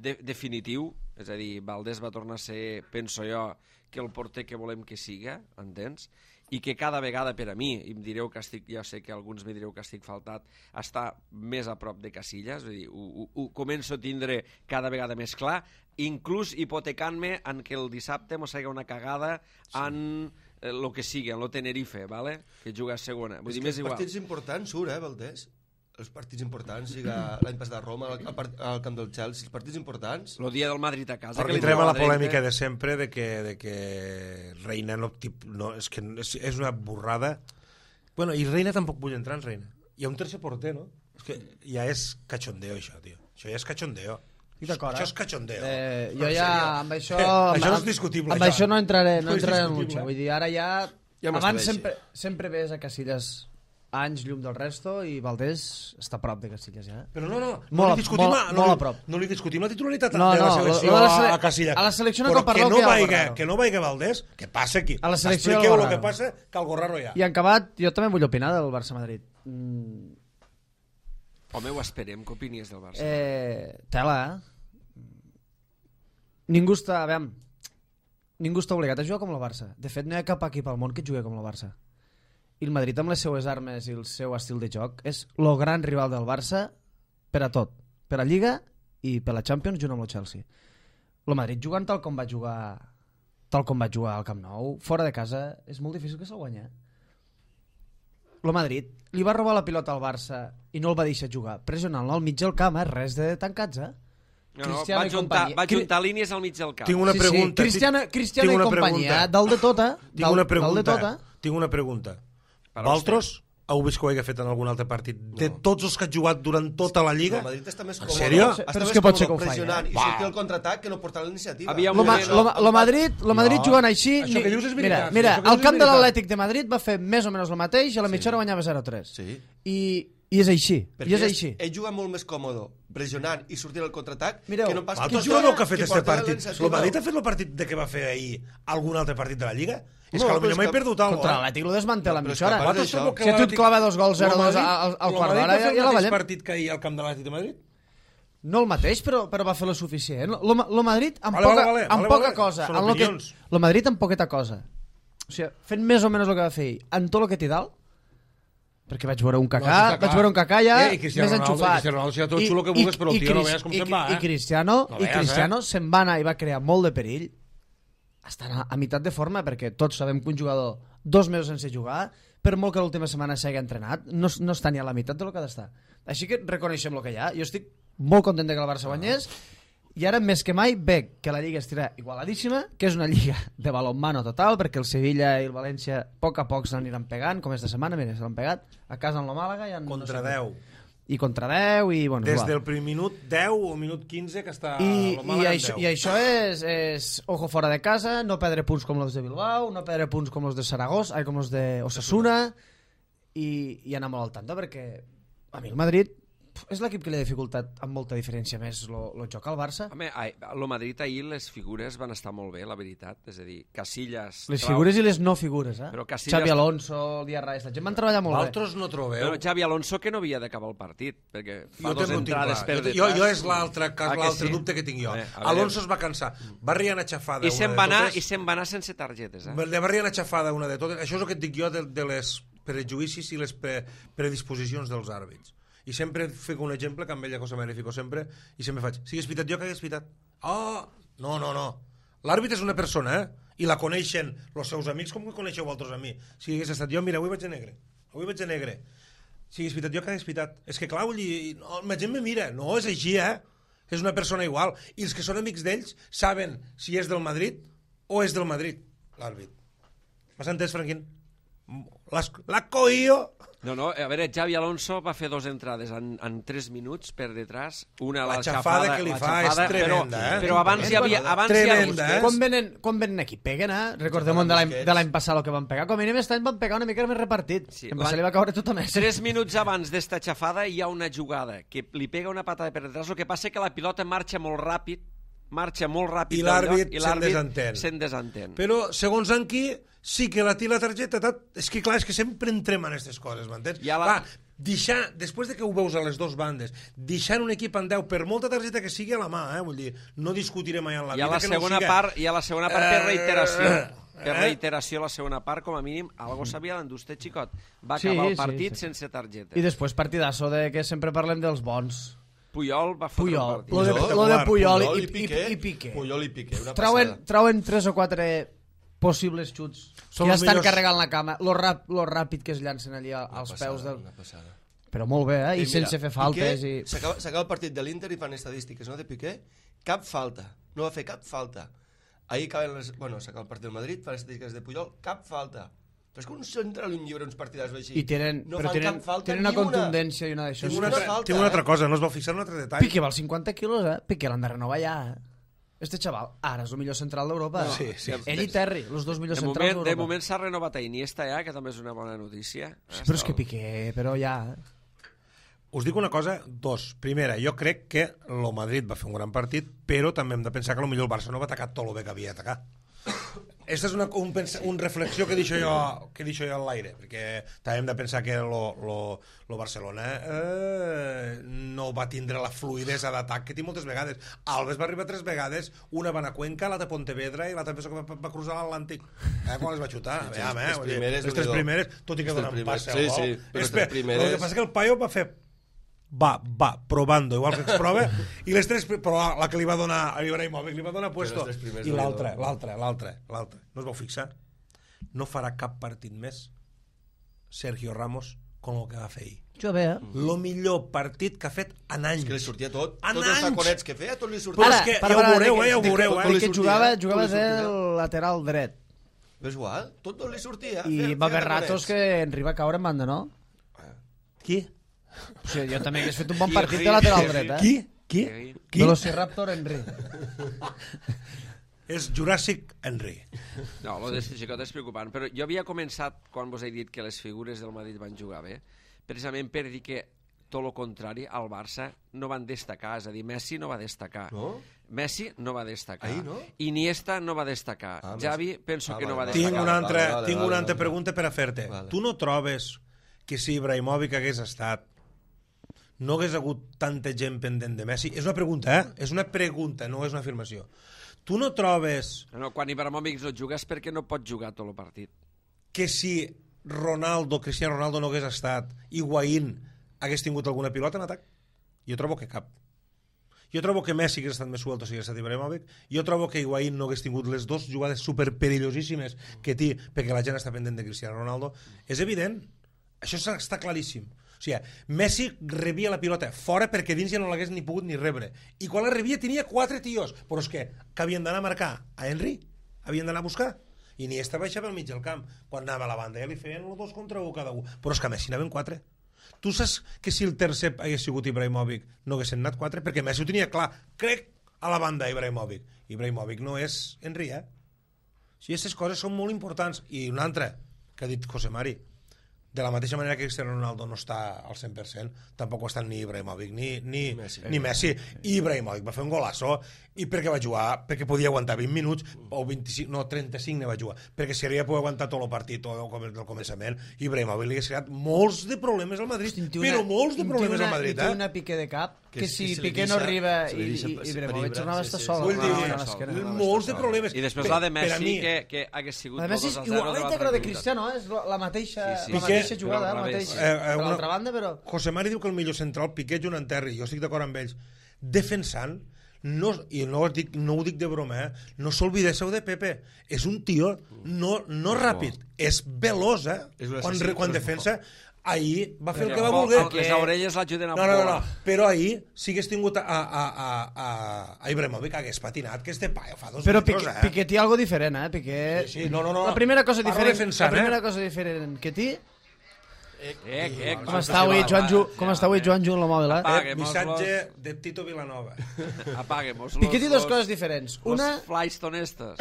definitiu, és a dir, Valdés va tornar a ser, penso jo, que el porter que volem que siga, entens? I que cada vegada per a mi, i em direu que ja sé que alguns me direu que estic faltat, està més a prop de Casillas, és a dir, ho començo a tindre cada vegada més clar, inclús hipotecant-me en que el dissabte mos haga una cagada en el que sigui, en el Tenerife, ¿vale? Que juga a segona. Vull dir, més igual. Els partits importants surt, Valdés? Els partits importants, l'any passat a Roma, al camp del Chelsea, els partits importants... El dia del Madrid a casa... Perquè entrem a la polèmica de sempre de que Reina és una borrada. Bueno, i Reina tampoc vull entrar en Reina. Hi ha un tercer porter, no? És que ja és cachondeo, això, tio. Això ja és cachondeo. Això és cachondeo. Jo ja, amb això... Això no és discutible. Amb això no entraré en lucha. Vull dir, ara ja... Abans sempre ves a Casillas anys llum del resto i Valdés està a prop de Casillas ja. Però no Molt li discutim, molt a prop. No li discutim la titularitat No, de la no, selecció a Casillas. a la selecció no però cal parlar que hi ha algo raro. Que no vagi Valdés, que passa aquí. A la selecció expliqueu algo el que raro. passa, que algo raro hi ha. I en acabat, jo també vull opinar del Barça-Madrid. Home, ho esperem, què opinies del Barça? Tela, Ningú està obligat a jugar com el Barça. De fet, no hi ha cap equip al món que jugui com el Barça. I el Madrid, amb les seues armes i el seu estil de joc, és el gran rival del Barça per a tot. Per a Lliga i per a la Champions junt amb el Chelsea. El Madrid jugant tal com va jugar al Camp Nou, fora de casa, és molt difícil que se'l guanyi. El Madrid li va robar la pilota al Barça i no el va deixar jugar, pressionant-lo al mig del camp, res de tancats, No, va juntar línies al mig del camp. Tinc una pregunta. Cristiano i companyia, dalt de tota. Tinc una pregunta. Valtros, heu vist que ho hagi fet en algun altre partit? De tots els que ha jugat durant tota la Lliga? El Madrid està més En còmode. sèrio? Però és que pot ser que ho faci, pressionant i sortir al contraatac que no portar la iniciativa. El Madrid jugant així... Això que dius és veritat. Mira, al camp de l'Atlètic de Madrid va fer més o menys el mateix i a la mitja hora guanyava 0-3. Sí. I és així. Perquè ell juga molt més còmode pressionant i sortint al contraatac que no pas... Valtros no que ha fet aquest partit. El Madrid ha fet el partit de què va fer ahir algun altre partit de la Lliga? És que potser m'he perdut alguna cosa. Contra l'Atlètic lo desmantela a mitja hora. Si a tu et clava 2 gols 0-2 al quart d'hora, ja la el mateix veiem. partit que ahir al camp de l'Atlètic de Madrid? No el mateix, però va fer lo suficient. El Madrid amb Vale. poca cosa. Són opinions. El Madrid amb poqueta cosa. O sigui, fent més o menys el que va fer ahir, en tot el que té dalt, perquè vaig veure un Kaká ja més enxufat. I Cristiano Ronaldo serà tot xulo que vulguis, però el tio no veies com se'n va. I Cristiano se'n va anar i va crear molt de perill. Estan a meitat de forma, perquè tots sabem que un jugador 2 mesos sense jugar, per molt que l'última setmana s'hagi entrenat, no està ni a la meitat del que ha d'estar. Així que reconeixem el que hi ha. Jo estic molt content que el Barça guanyés, i ara més que mai veig que la Lliga estirà igualadíssima, que és una Lliga de balonmano total, perquè el Sevilla i el València a poc s'aniran pegant, com esta setmana, mira, s'han pegat a casa amb la Màlaga. Contra 10. I contra 10 i... Bueno, des del primer minut 10 o minut 15 que està la Màlaga en 10. I això és ojo fora de casa, no perdre punts com els de Bilbao, no perdre punts com els de Saragossa, com els de Osasuna, i anar molt al tanto, perquè a mi el Madrid és l'equip que li ha dificultat amb molta diferència més el joc al Barça. Home, el Madrid ahir les figures van estar molt bé, la veritat. És a dir, Casillas... Les figures i les no figures, Però Casillas... Xavi Alonso, Diarra, la gent van treballar molt bé. Valtros no trobeu? Però Xavi Alonso que no havia d'acabar el partit, perquè fa 2 entrades per detrás. Jo és l'altre dubte que tinc jo. Alonso es va cansar. Va riant a xafada I se'n va anar sense targetes. Va riant a xafada una de totes. Això és el que et dic jo de les prejudicis i les predisposicions dels àrbits. I sempre fico un exemple, que amb ella cosa me fico sempre, i sempre faig, si hagués pitat jo, que hagués pitat? No. L'àrbit és una persona, i la coneixen els seus amics com que coneixeu vosaltres a mi. Si hagués estat jo, mira, avui vaig de negre. Si hagués pitat jo, que hagués pitat? És que clar, vull dir, la gent me mira. No, és així, És una persona igual. I els que són amics d'ells saben si és del Madrid o és del Madrid, l'àrbit. M'has entès, Franquín? L'ha cogido... No, a veure, Xavi Alonso va fer 2 entrades en 3 minuts per detrás, una la xafada que li fa és tremenda, però abans hi havia... Quan venen aquí, peguen, Recordem de l'any passat el que van pegar, com a mínim aquest any van pegar una mica més repartit, em va li va caure tot a més. 3 minuts abans d'esta xafada hi ha una jugada que li pega una patada per detrás, el que passa que la pilota marxa molt ràpid i l'àrbit se'n desentén. Però, segons en qui, sí que la té la targeta, és que clar, és que sempre entrem en aquestes coses, m'entens? Deixar, després de que ho veus a les 2 bandes, deixar un equip en 10 per molta targeta que sigui a la mà, vull dir, no discutirem mai en la vida que no siga... Hi ha la segona part per reiteració. Per reiteració, la segona part, com a mínim, algo s'havia d'endur este xicot. Va acabar el partit sense targeta. I després partidasso de que sempre parlem dels bons. Puyol va fotre un partit. Lo de Puyol i Piqué. Puyol i Piqué, una passada. Trauen 3 o 4 possibles xuts que ja estan carregant la cama. Lo ràpid que es llancen allí als peus del... Però molt bé, i sense fer faltes. S'acaba el partit de l'Inter i fan estadístiques, no, de Piqué? Cap falta. No va fer cap falta. Ahir s'acaba el partit del Madrid, fan estadístiques de Puyol, cap falta. Però és que un central i un llibre, uns partidars així. I tenen una contundència i una d'això. Tinc una altra cosa, no es va fixar un altre detall. Piqué val 50 quilos, Piqué l'han de renovar ja, Este xaval ara és el millor central d'Europa. Sí. Ell i Terry, els dos millors De centrals moment, d'Europa. de moment s'ha renovat a Iniesta ja, que també és una bona notícia. Sí, però és que Piqué, però ja... Us dic una cosa, dos. Primera, jo crec que el Madrid va fer un gran partit, però també hem de pensar que potser el Barça no va atacar tot el bé que havia d'atacar. Aquesta és una reflexió que deixo jo en l'aire, perquè també hem de pensar que el Barcelona no va tindre la fluidesa d'atac que té moltes vegades. Alves va arribar 3 vegades, una va anar a Cuenca, l'altra a Pontevedra i l'altra penso que va cruzar l'Atlàntic. Quan les va xutar? Les tres primeres, tot i que donen passe al gol. El que passa que el Paio va fer va probando, igual que exprova, i les tres, però la que li va donar a Ibrahimovic li va donar puesto, i l'altra, no us vau fixar? No farà cap partit més Sergio Ramos com el que va fer ahir. Jo bé, El millor partit que ha fet en anys. És que li sortia tot. En Tots els anys! taconets que feia, tot li sortia. Però és que ja ho veureu, que jugava del lateral dret. Però és igual, tot li sortia. I va haver ratos que Henry va caure en banda, no? Qui? O sigui, jo també hagués fet un bon partit de lateral dret, Qui? Velociraptor Henry. És Jurassic Henry. No, el de Xicot és preocupant, però jo havia començat, quan vos he dit que les figures del Madrid van jugar bé, precisament per dir que tot el contrari, al Barça no van destacar, és a dir, Messi no va destacar. No? Messi no va destacar. Ahir, no? Iniesta no va destacar. Xavi penso que no va Tinc destacar. una altra pregunta per a fer-te. Vale. Tu no trobes que si Ibrahimovic hagués estat no hagués hagut tanta gent pendent de Messi? És una pregunta, És una pregunta, no és una afirmació. Tu no trobes No, quan Ibrahimovic no juga és perquè no pot jugar tot el partit. que si Cristiano Ronaldo no hagués estat, Higuaín hagués tingut alguna pilota en atac? Jo trobo que cap. Jo trobo que Messi hagués estat més suelto si hagués estat Ibrahimovic. Jo trobo que Higuaín no hagués tingut les dues jugades superperillosíssimes que té perquè la gent està pendent de Cristiano Ronaldo. És evident. Això està claríssim. O sigui, Messi rebia la pilota fora perquè dins ja no l'hagués ni pogut ni rebre. I quan la rebia tenia 4 tios. Però és que havien d'anar a marcar a Henry? Havien d'anar a buscar? I Iniesta baixava al mig del camp. Quan anava a la banda ja li feien el 2 contra 1 cada un. Però és que a Messi anaven 4. Tu saps que si el tercer hagués sigut Ibrahimovic no haguessin anat 4? Perquè Messi ho tenia clar. Crec a la banda Ibrahimovic. Ibrahimovic no és Henry, O sigui, aquestes coses són molt importants. I una altra, que ha dit José Mari, de la mateixa manera que Cristiano Ronaldo no està al 100%, tampoc ho estan ni Ibrahimovic ni Messi. I Ibrahimovic va fer un golasso, i perquè va jugar, perquè podia aguantar 20 minuts, o 25, no, 35 ne va jugar, perquè si havia pogut aguantar tot el partit del començament, Ibrahimovic li ha creat molts de problemes al Madrid, però molts de problemes al Madrid. Té una Piqué de cap, que si Piqué no arriba i Ibrahimovic tornava a estar sol. Vull dir, molts de problemes. I després la de Messi, que hagués sigut la de Messi, igualment que la de Cristiano, és la mateixa jugada, la mateixa. Per l'altra banda, però... José Mari diu que el millor central, Piqué, Joan Terry, jo estic d'acord amb ells, defensant, i no ho dic de broma, no s'olvidéssiu de Pepe, és un tio no ràpid, és veloç, quan defensa. Ahir va fer el que va voler. Les orelles l'ajuden a no, però ahir si hagués tingut a Ibrahimovic hagués patinat, que este paio fa 2 però metres, Piqué té algo diferent, Piqué... Sí, no. La primera cosa diferent que té... Com està avui Joan Ju en la mòbil, Missatge de Tito Vilanova. Apaguemos Piqué té 2 coses diferents. Una... Los flystonestes.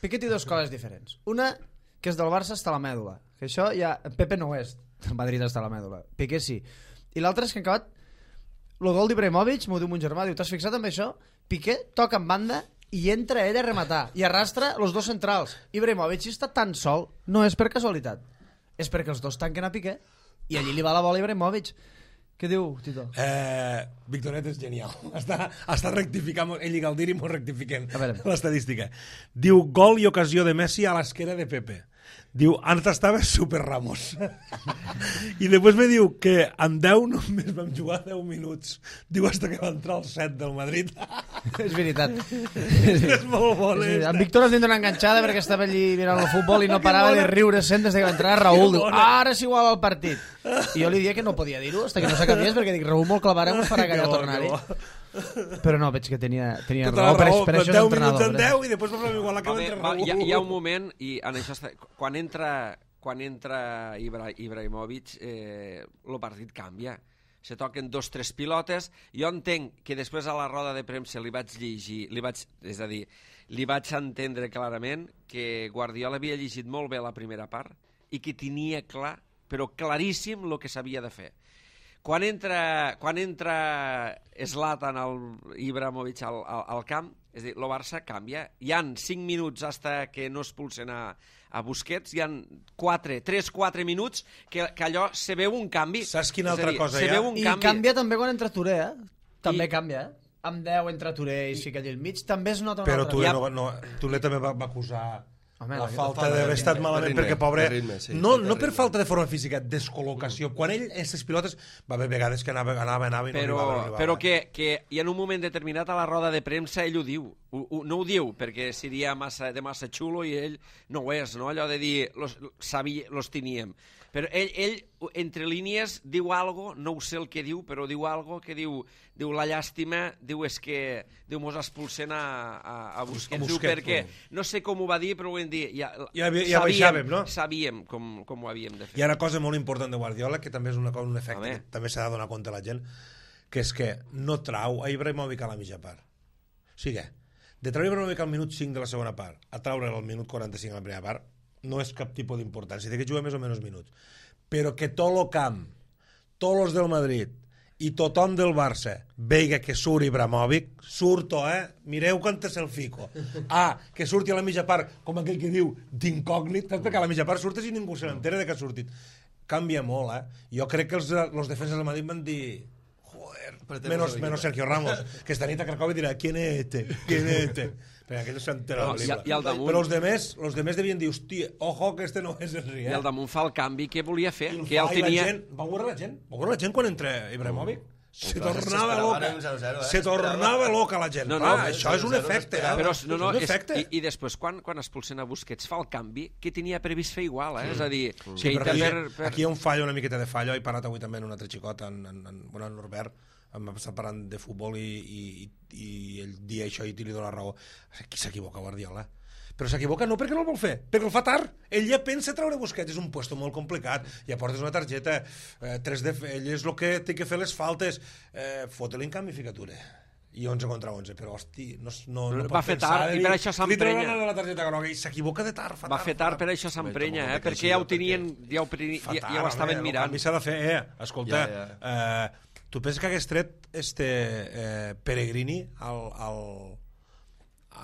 Piqué té 2 coses diferents. Una, que és del Barça està la mèdula. Que això ja... Pepe no ho és. El Madrid està a la mèdula. Piqué sí. I l'altre és que han acabat el gol d'Ibrahimovic, m'ho diu mon germà, diu, t'has fixat amb això? Piqué toca en banda i entra ell a rematar i arrastra els 2 centrals. Ibrahimovic, si està tan sol, no és per casualitat, és perquè els dos tanquen a Piqué i allí li va la bola a Ibrahimovic. Què diu, Tito? Victoret és genial. Està rectificant, ell i Galdiri m'ho rectifiquen l'estadística. Diu, gol i ocasió de Messi a l'esquera de Pepe. Diu, antes estava super Ramos. I després me diu que en 10 només vam jugar 10 minuts. Diu, hasta que va entrar el 7 del Madrid. És veritat. És molt bon. En Víctor es dona una enganxada perquè estava allí mirant el futbol i no parava de riure sent des que va entrar Raúl. Diu, ara és igual al partit. I jo li dia que no podia dir-ho hasta que no s'acabiés perquè dic, Raúl molt clavarem us farà callar tornar-hi. Però no, veig que tenia raó, per això és entrenador. 10 minuts en 10 i després vam igualar que va entrar Raúl. Hi ha un moment, i en això quan entra Ibrahimovic, el partit canvia. se toquen 2 o 3 pilotes. Jo entenc que després a la roda de premsa li vaig llegir, és a dir, li vaig entendre clarament que Guardiola havia llegit molt bé la primera part i que tenia clar, però claríssim, el que s'havia de fer. Quan entra Zlatan, Ibrahimovic al camp, és a dir, el Barça canvia. Hi han 5 minuts hasta que no expulsen a Busquets, hi han 3-4 minuts que allò se veu un canvi. Saps quina altra cosa hi ha? I canvia també quan entra Touré, També canvia, Amb 10 entre Touré i Siquell al mig, també es nota una altra. Però Touré també va acusar la falta d'haver estat malament, perquè pobre... No per falta de forma física, descol·locació. Quan ell, aquestes pilotes, va haver vegades que anava i no arribava. Però que i en un moment determinat a la roda de premsa ell ho diu. No ho diu perquè seria de massa xulo i ell no ho és, no? Allò de dir, los teníem. Però ell, entre línies, diu algo, no ho sé el que diu, però diu algo que diu la llàstima, diu mos expulsen a Busquets. Diu perquè, no sé com ho va dir, però ho vam dir. Ja baixàvem, no? Sabíem com ho havíem de fer. Hi ha una cosa molt important de Guardiola, que també és un efecte que també s'ha de donar compte la gent, que és que no trau a Ibrahimovic a la mitja part. O sigui, de treure Ibrahimovic al minut 5 de la segona part a treure'l al minut 45 a la primera part, no és cap tipus d'importància, té que jugar més o menys minuts. Però que tot el camp, tots els del Madrid i tothom del Barça veiga que surt Ibrahimovic, surto, mireu quan el fico. Que surti a la mitja part, com aquell que diu, d'incògnit, perquè a la mitja part surtes i ningú se n'entera de que ha sortit. Canvia molt, Jo crec que els defenses del Madrid van dir... Menos Sergio Ramos, que esta nit a Cracòvia dirà ¿quién es este? Perquè aquell s'entera de la pel·lícula. Però els demés devien dir, hòstia, ojo que este no és el Riel. I al damunt fa el canvi que volia fer. Que el tenia... Va veure la gent quan entra Ibrahimovic? Se tornava loca. Se tornava loca la gent. Això és un efecte. I després, quan expulsen a Busquets, fa el canvi que tenia previst fer igual. És a dir... Aquí hi ha un fallo, una miqueta de fallo. He parlat avui també en un altre xicot, en Norbert, em va estar parlant de futbol i ell dia això i li dona raó. Aquí s'equivoca Guardiola. Però s'equivoca no perquè no el vol fer, perquè el fa tard. Ell ja pensa treure Busquets, és un puesto molt complicat. Ja portes una targeta, ell és el que té que fer les faltes. Fota-li en canvi ficatura. I 11 contra 11, però hosti, no va fer tard i per això s'emprenya. Li treuen la targeta groga i s'equivoca de tard. Va fer tard, per això s'emprenya, perquè ja ho tenien, ja ho estaven mirant. El canvi s'ha de fer, escolta, tu penses que hagués tret Peregrini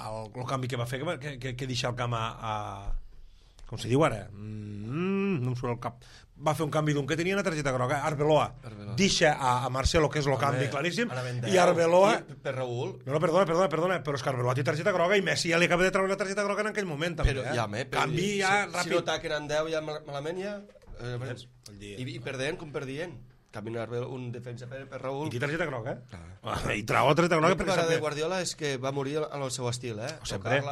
el canvi que va fer, que deixa el camp com se diu ara? No em surt el cap. Va fer un canvi d'un que tenia una targeta groga, Arbeloa. Deixa a Marcelo, que és el canvi claríssim, i Arbeloa... Per Raúl. No, perdona, però és que Arbeloa té targeta groga i Messi ja li acaba de treure la targeta groga en aquell moment, també. Canvi ja ràpid. Si no taquen en 10 ja malament ja... I perdent, com perdien. Caminar un defensa per Raúl. I té targeta groga, I trau la targeta groga perquè... El de Guardiola és que va morir en el seu estil,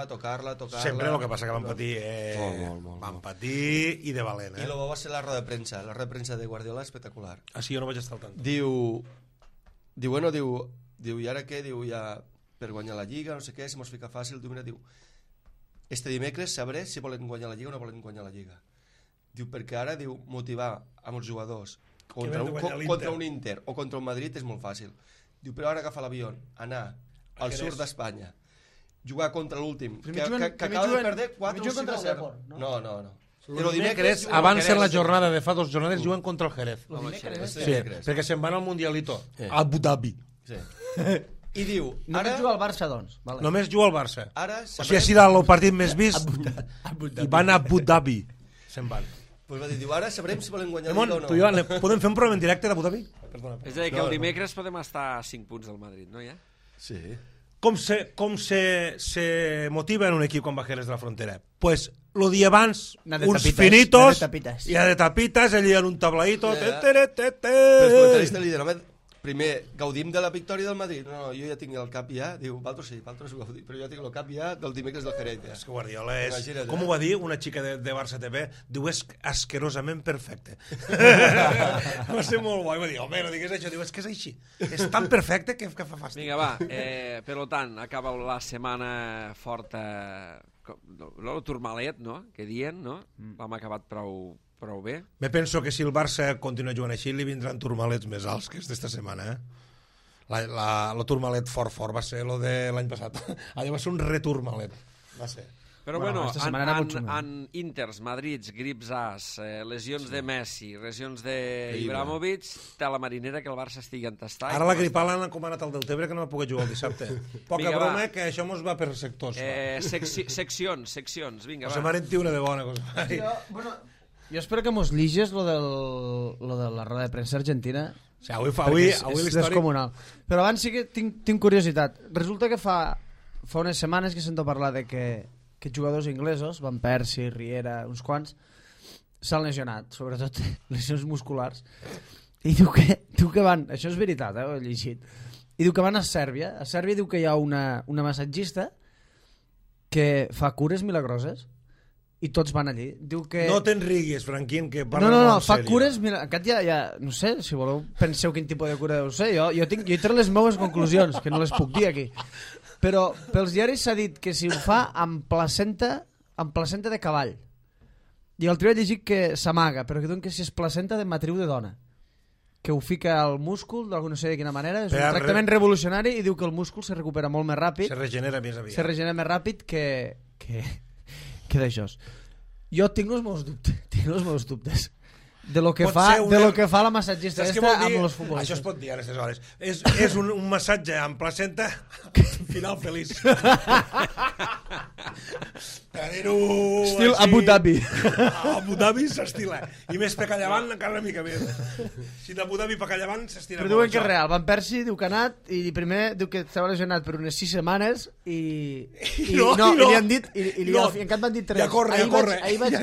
Tocar-la. Sempre el que passa que van patir... Van patir i de valent, I el bo va ser la roda de premsa. La roda de premsa de Guardiola espectacular. Sí, jo no vaig estar al tant. Diu, i ara què? Diu, ja per guanyar la Lliga, no sé què, si mos fica fàcil. Diu, este dimecres sabré si volen guanyar la Lliga o no volen guanyar la Lliga. Diu, perquè ara, motivar amb els jugadors contra un Inter o contra un Madrid és molt fàcil. Diu, però ara agafa l'avió, anar al sud d'Espanya, jugar contra l'últim, que acaba de perdre 4 o 5-0. No. El dimecres, abans de la jornada de fa 2 jornades, juguen contra el Jerez. Sí, perquè se'n van al Mundialito, a Abu Dhabi. I diu... Només juga al Barça, doncs. Només juga al Barça. O sigui, ha sigut el partit més vist i van a Abu Dhabi. Se'n van. Pues va dir, ara sabrem si volen guanyar Lliga o no. Tu i jo podem fer un programa en directe d'Abu Dhabi? És a dir, que el dimecres podem estar a 5 punts del Madrid, no ja? Sí. Com se motiva en un equip quan va Jerez de la Frontera? Pues el dia abans, uns finitos, i de tapitas, allí en un tablaïto... Però els comentaristes li diuen, primer, gaudim de la victòria del Madrid. No, jo ja tinc el cap ja. Diu, valtros sí, valtros gaudim. Però jo tinc el cap ja del dimecres del Jerez. És que Guardiola és... Com ho va dir una xica de Barça TV? Diu, és asquerosament perfecte. Va ser molt bo. I va dir, home, no digues això. Diu, és que és així. És tan perfecte que fa fàstic. Vinga, va. Per tant, acaba la setmana forta... El turmalet, no?, que dient, no? L'hem acabat Prou bé. Me penso que si el Barça continua jugant així li vindran turmalets més alts que d'esta setmana, el turmalet fort va ser lo de l'any passat. Allò va ser un returmalet. Va ser. Però bueno, aquesta setmana era molt xunga. en Inters, Madrids, grips as, lesions de Messi, lesions d'Ibrahimovic, té la marinera que el Barça estigui entastat. Ara la gripal l'han encomanat al Deltebre que no va poder jugar el dissabte. Poca Vinga, broma, va. que això mos va per sectors. Seccions, vinga, Se va. m'ha una de bona cosa. Jo espero que mos liges lo de la roda de premsa argentina. O sigui, avui Perquè és l'històric... descomunal. Però abans sí que tinc curiositat. Resulta que fa unes setmanes que sento parlar de que jugadors inglesos, Van Persie, Riera, uns quants, s'han lesionat, sobretot lesions musculars, i diu que van, això és veritat, ho he llegit, i diu que van a Sèrbia diu que hi ha una massatgista que fa cures milagroses, i tots van allí. Diu que... No te'n riguis, Franquín, que parla No, molt fa seriós. cures, mira, aquest ja, no sé, si voleu penseu quin tipus de cura deu ser, jo he tret les meves conclusions, que no les puc dir aquí. Però pels diaris s'ha dit que si ho fa amb placenta de cavall. I l'altre dia he llegit que s'amaga, però que diuen que si és placenta de matriu de dona. Que ho fica al múscul, no sé de quina manera, és un tractament revolucionari i diu que el múscul se recupera molt més ràpid. Se regenera més aviat. Se regenera més ràpid que d'això. Jo tinc els meus dubtes. De lo que fa la massatgista esta amb els futbolistes. Això es pot dir a aquestes hores. És un massatge amb placenta final feliç. Estil Abu Dhabi. Abu Dhabi s'estila. I més per callavant encara una mica més. Si d'Abu Dhabi per callavant s'estila. Però diuen que és real. Van Persie diu que ha anat i primer diu que estava lesionat per unes 6 setmanes i li han dit i encara van dir 3. Ja corre. Ahir vaig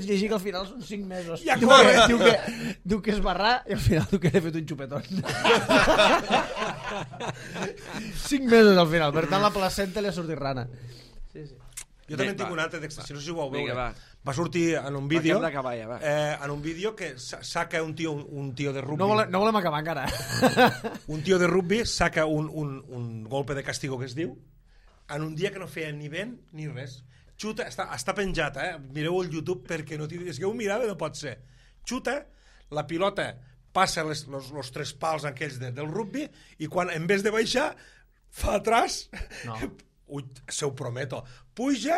llegir que al final són 5 mesos. Ja corre. Diu que es barrà i al final diu que he fet un xupetón. 5 mesos al final. Per tant la placenta li ha sortit rana. Jo també tinc un altre d'extensió, no sé si ho vau veure. Vinga, va sortir en un vídeo va. En un vídeo que saca un tio de rugby. No volem acabar encara. Un tio de rugby saca un golpe de castigo que es diu en un dia que no feia ni vent ni res. Xuta, està penjat, mireu el YouTube perquè no és que ho mirava, no pot ser. Xuta, la pilota passa els 3 pals aquells del rugby i quan en vez de baixar fa atrás, ui, se ho prometo, puja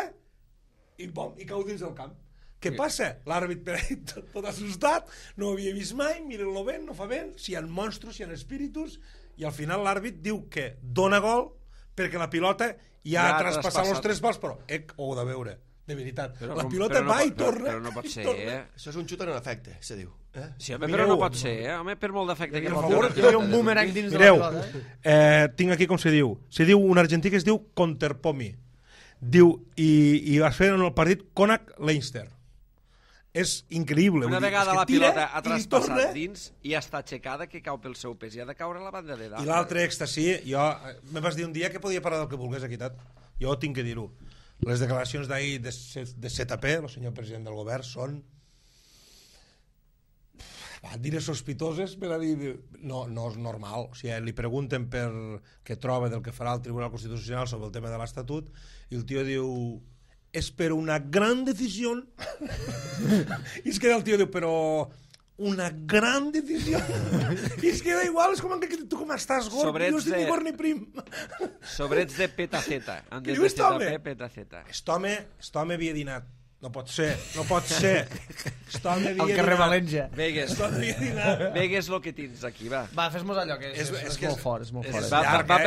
i cau dins del camp. Què passa? L'àrbit per ahí tot assustat, no ho havia vist mai, mira-lo vent, no fa vent, si hi ha monstros, si hi ha espíritus, i al final l'àrbit diu que dona gol perquè la pilota ja ha traspassat els 3 pals, però ho heu de veure, de veritat. La pilota va i torna. Però no pot ser, Això és un xut en efecte, se diu. Sí, home, però no pot ser, home, per molt d'efecte que pot Hi havia un boomerang dins de la pilota. Tinc aquí com se diu. Se diu un argentí que es diu Conterpomi. Diu, i va fer en el partit Konak-Leinster. És increïble. Una vegada la pilota ha traspassat dins i està aixecada que cau pel seu pes i ha de caure a la banda de dalt. I l'altre èxtasi, me vas dir un dia que podia parlar del que volgués aquí, jo tinc que dir-ho. Les declaracions d'ahir de ZP, el senyor president del govern, són dir sospitoses per a dir no és normal. O sigui, li pregunten per què troba del que farà el Tribunal Constitucional sobre el tema de l'Estatut i el tio diu és per una gran decisió. I es queda el tio diu però una gran decisió. I es queda igual, és com que tu com estàs gord, jo estic ni gord ni prim. Sobrets de petaceta. Què diu este home? Petaceta. Este home havia dinat. No pot ser. Al carrer València. Vegues el que tens aquí, va. Va, fes-nos allò, que és molt fort.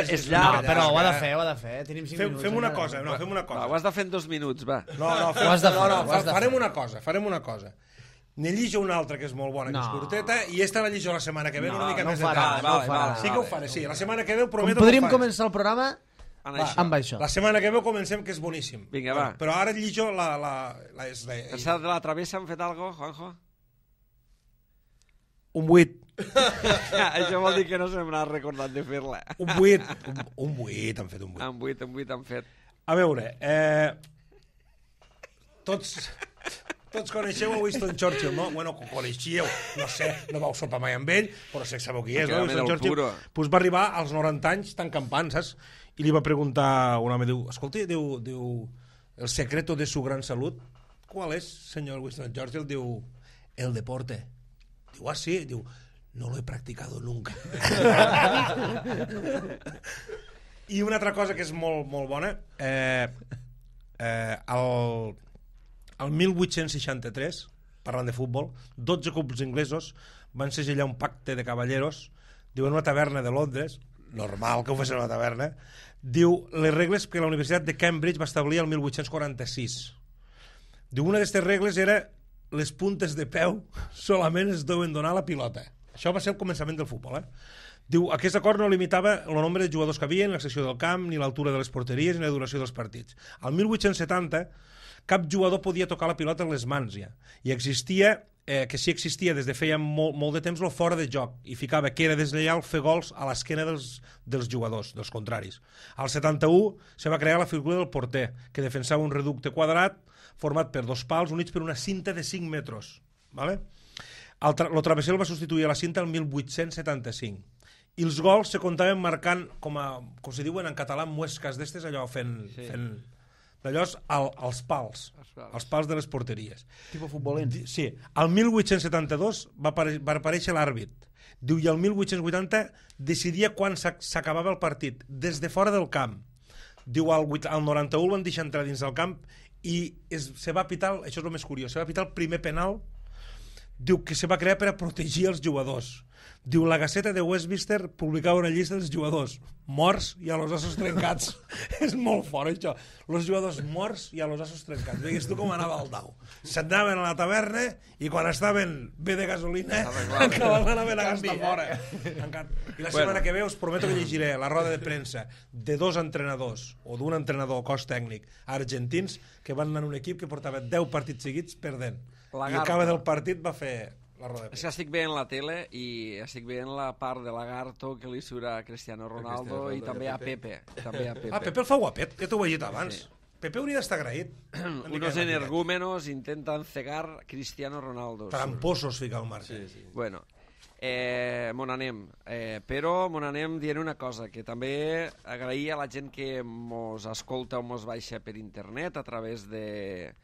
És llarg. Però ho ha de fer. Tenim 5 minuts. Fem una cosa. Ho has de fer en 2 minuts, va. Farem una cosa. Ne llijo una altra que és molt bona, que és curteta, i esta la llijo la setmana que ve, una mica més de temps. Sí que ho faré, sí. La setmana que ve prometo que ho faré. Podríem començar el programa amb això. La setmana que ve comencem, que és boníssim. Vinga, va. Però ara llijo la... Pensat de la travessa han fet algo, Juanjo? Un 8. Això vol dir que no se m'ha recordat de fer-la. Un 8. Un 8, han fet un 8. Un 8 han fet. A veure, tots coneixeu a Winston Churchill, no? Bueno, coneixíeu, no sé, no vau sopar mai amb ell, però sé que sabeu qui és, no? Winston Churchill pues va arribar als 90 anys tan campant, saps? I li va preguntar un home, diu, escolta, diu, el secreto de su gran salut, ¿cuál es, senyor Winston Churchill? Diu, el deporte. Diu, sí? Diu, no lo he practicado nunca. I una altra cosa que és molt, molt bona, el 1863, parlant de futbol, 12 clubs inglesos van segellar un pacte de cavalleros, diu, en una taverna de Londres, normal que ho fes en una taverna, diu, les regles que la Universitat de Cambridge va establir el 1846. Diu, una d'aquestes regles era les puntes de peu solament es deuen donar a la pilota. Això va ser el començament del futbol, Diu, aquest acord no limitava el nombre de jugadors que havia, ni la secció del camp, ni l'altura de les porteries, ni la duració dels partits. Al 1870, cap jugador podia tocar la pilota amb les mans, ja. I existia, que sí existia des de feia molt de temps, el fora de joc, i ficava que era deslleial fer gols a l'esquena dels jugadors, dels contraris. Al 71 se va crear la figura del porter, que defensava un reducte quadrat format per 2 pals units per una cinta de 5 metres. ¿Vale? El travesser el va substituir a la cinta el 1875. I els gols se comptaven marcant, com se diuen en català, muescas d'estes, allò fent d'allò als pals, els pals de les porteries. Tipo futbolent. Sí. Al 1872 va aparèixer l'àrbit. Diu, i el 1880 decidia quan s'acabava el partit, des de fora del camp. Diu, al 91 el van deixar entrar dins del camp i se va pitar, això és el més curiós, se va pitar el primer penal, diu, que se va crear per a protegir els jugadors. Diu, la Gaceta de Westminster publicava una llista dels jugadors morts i a los ossos trencats. És molt fort, això. Los jugadors morts i a los ossos trencats. Vegues tu com anava el dau. S'anaven a la taverna i quan estaven bé de gasolina anaven a gastar fora. I la setmana que ve us prometo que llegiré la roda de premsa de 2 entrenadors o d'un entrenador cos tècnic argentins que van anar en un equip que portava 10 partits seguits perdent. I al cap del partit va fer la roda de premsa. És que estic veient la tele i estic veient la part de Lagarto que li surt a Cristiano Ronaldo i també a Pepe. Pepe el fa guapet, ja t'ho he dit abans. Pepe hauria d'estar agraït. Unos energúmenos intentan cegar Cristiano Ronaldo. Tramposos, fica el Marc. Bueno, mon anem. Però mon anem dient una cosa, que també agrair a la gent que mos escolta o mos baixa per internet a través de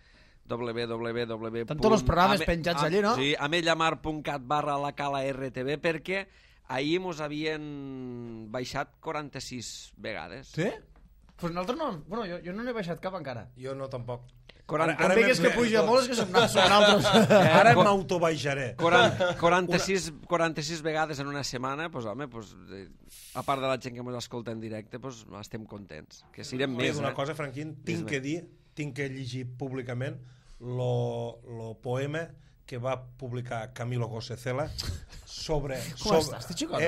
Tant tots els programes penjats allí, no? Sí, amellamar.cat/lacalartv, perquè ahir mos havien baixat 46 vegades. Sí? Pues nosaltres no... Bueno, jo no n'he baixat cap encara. Jo no, tampoc. Quan digues que puja molt és que són altres. Ara m'autobaixaré. 46 vegades en una setmana, pues, home, pues, a part de la gent que ens escolta en directe, pues, estem contents. Que siguem més. Una cosa, Franquín, tinc que llegir públicament lo poema que va publicar Camilo José Cela sobre... Com estàs, t'hi xicot?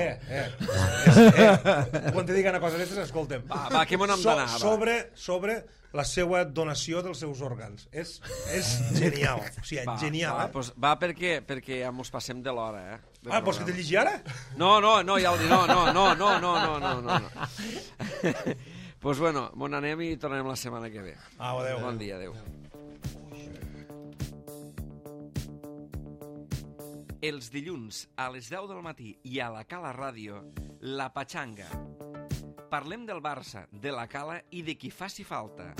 Quan te diga una cosa d'aquestes, escolta'm. Va, que m'on hem d'anar? Sobre la seva donació dels seus òrgans. És genial. O sigui, genial, Pues va perquè mos passem de l'hora, vols que te llegi ara? No, ja ho dic. No. Pues bueno, m'on anem i tornarem la setmana que ve. Adéu. Bon dia, adéu. Els dilluns a les 10 del matí i a la Cala Ràdio, La Patxanga. Parlem del Barça, de la Cala i de qui faci falta.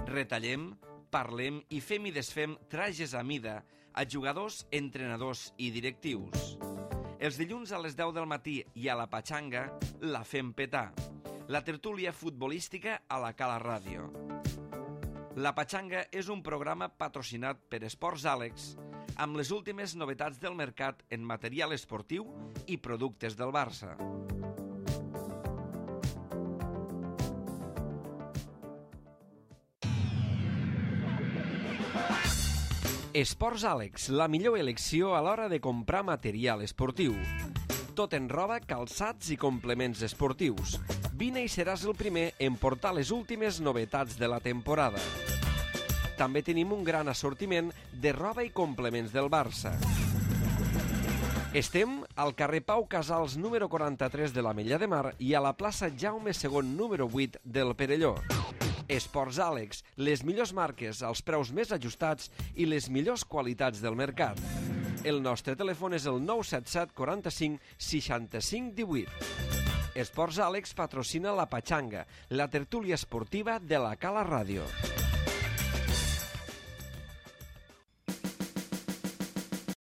Retallem, parlem i fem i desfem trajes a mida a jugadors, entrenadors i directius. Els dilluns a les 10 del matí i a La Patxanga la fem petar. La tertúlia futbolística a la Cala Ràdio. La Patxanga és un programa patrocinat per Esports Àlex amb les últimes novetats del mercat en material esportiu i productes del Barça. Esports Àlex, la millor elecció a l'hora de comprar material esportiu. Tot en roba, calçats i complements esportius. Vine i seràs el primer en portar les últimes novetats de la temporada. També tenim un gran assortiment de roba i complements del Barça. Estem al carrer Pau Casals número 43 de l'Ametlla de Mar i a la plaça Jaume II número 8 del Perelló. Esports Àlex, les millors marques, els preus més ajustats i les millors qualitats del mercat. El nostre telèfon és el 977 45 65 18. Esports Àlex patrocina La Patxanga, la tertúlia esportiva de la Cala Ràdio.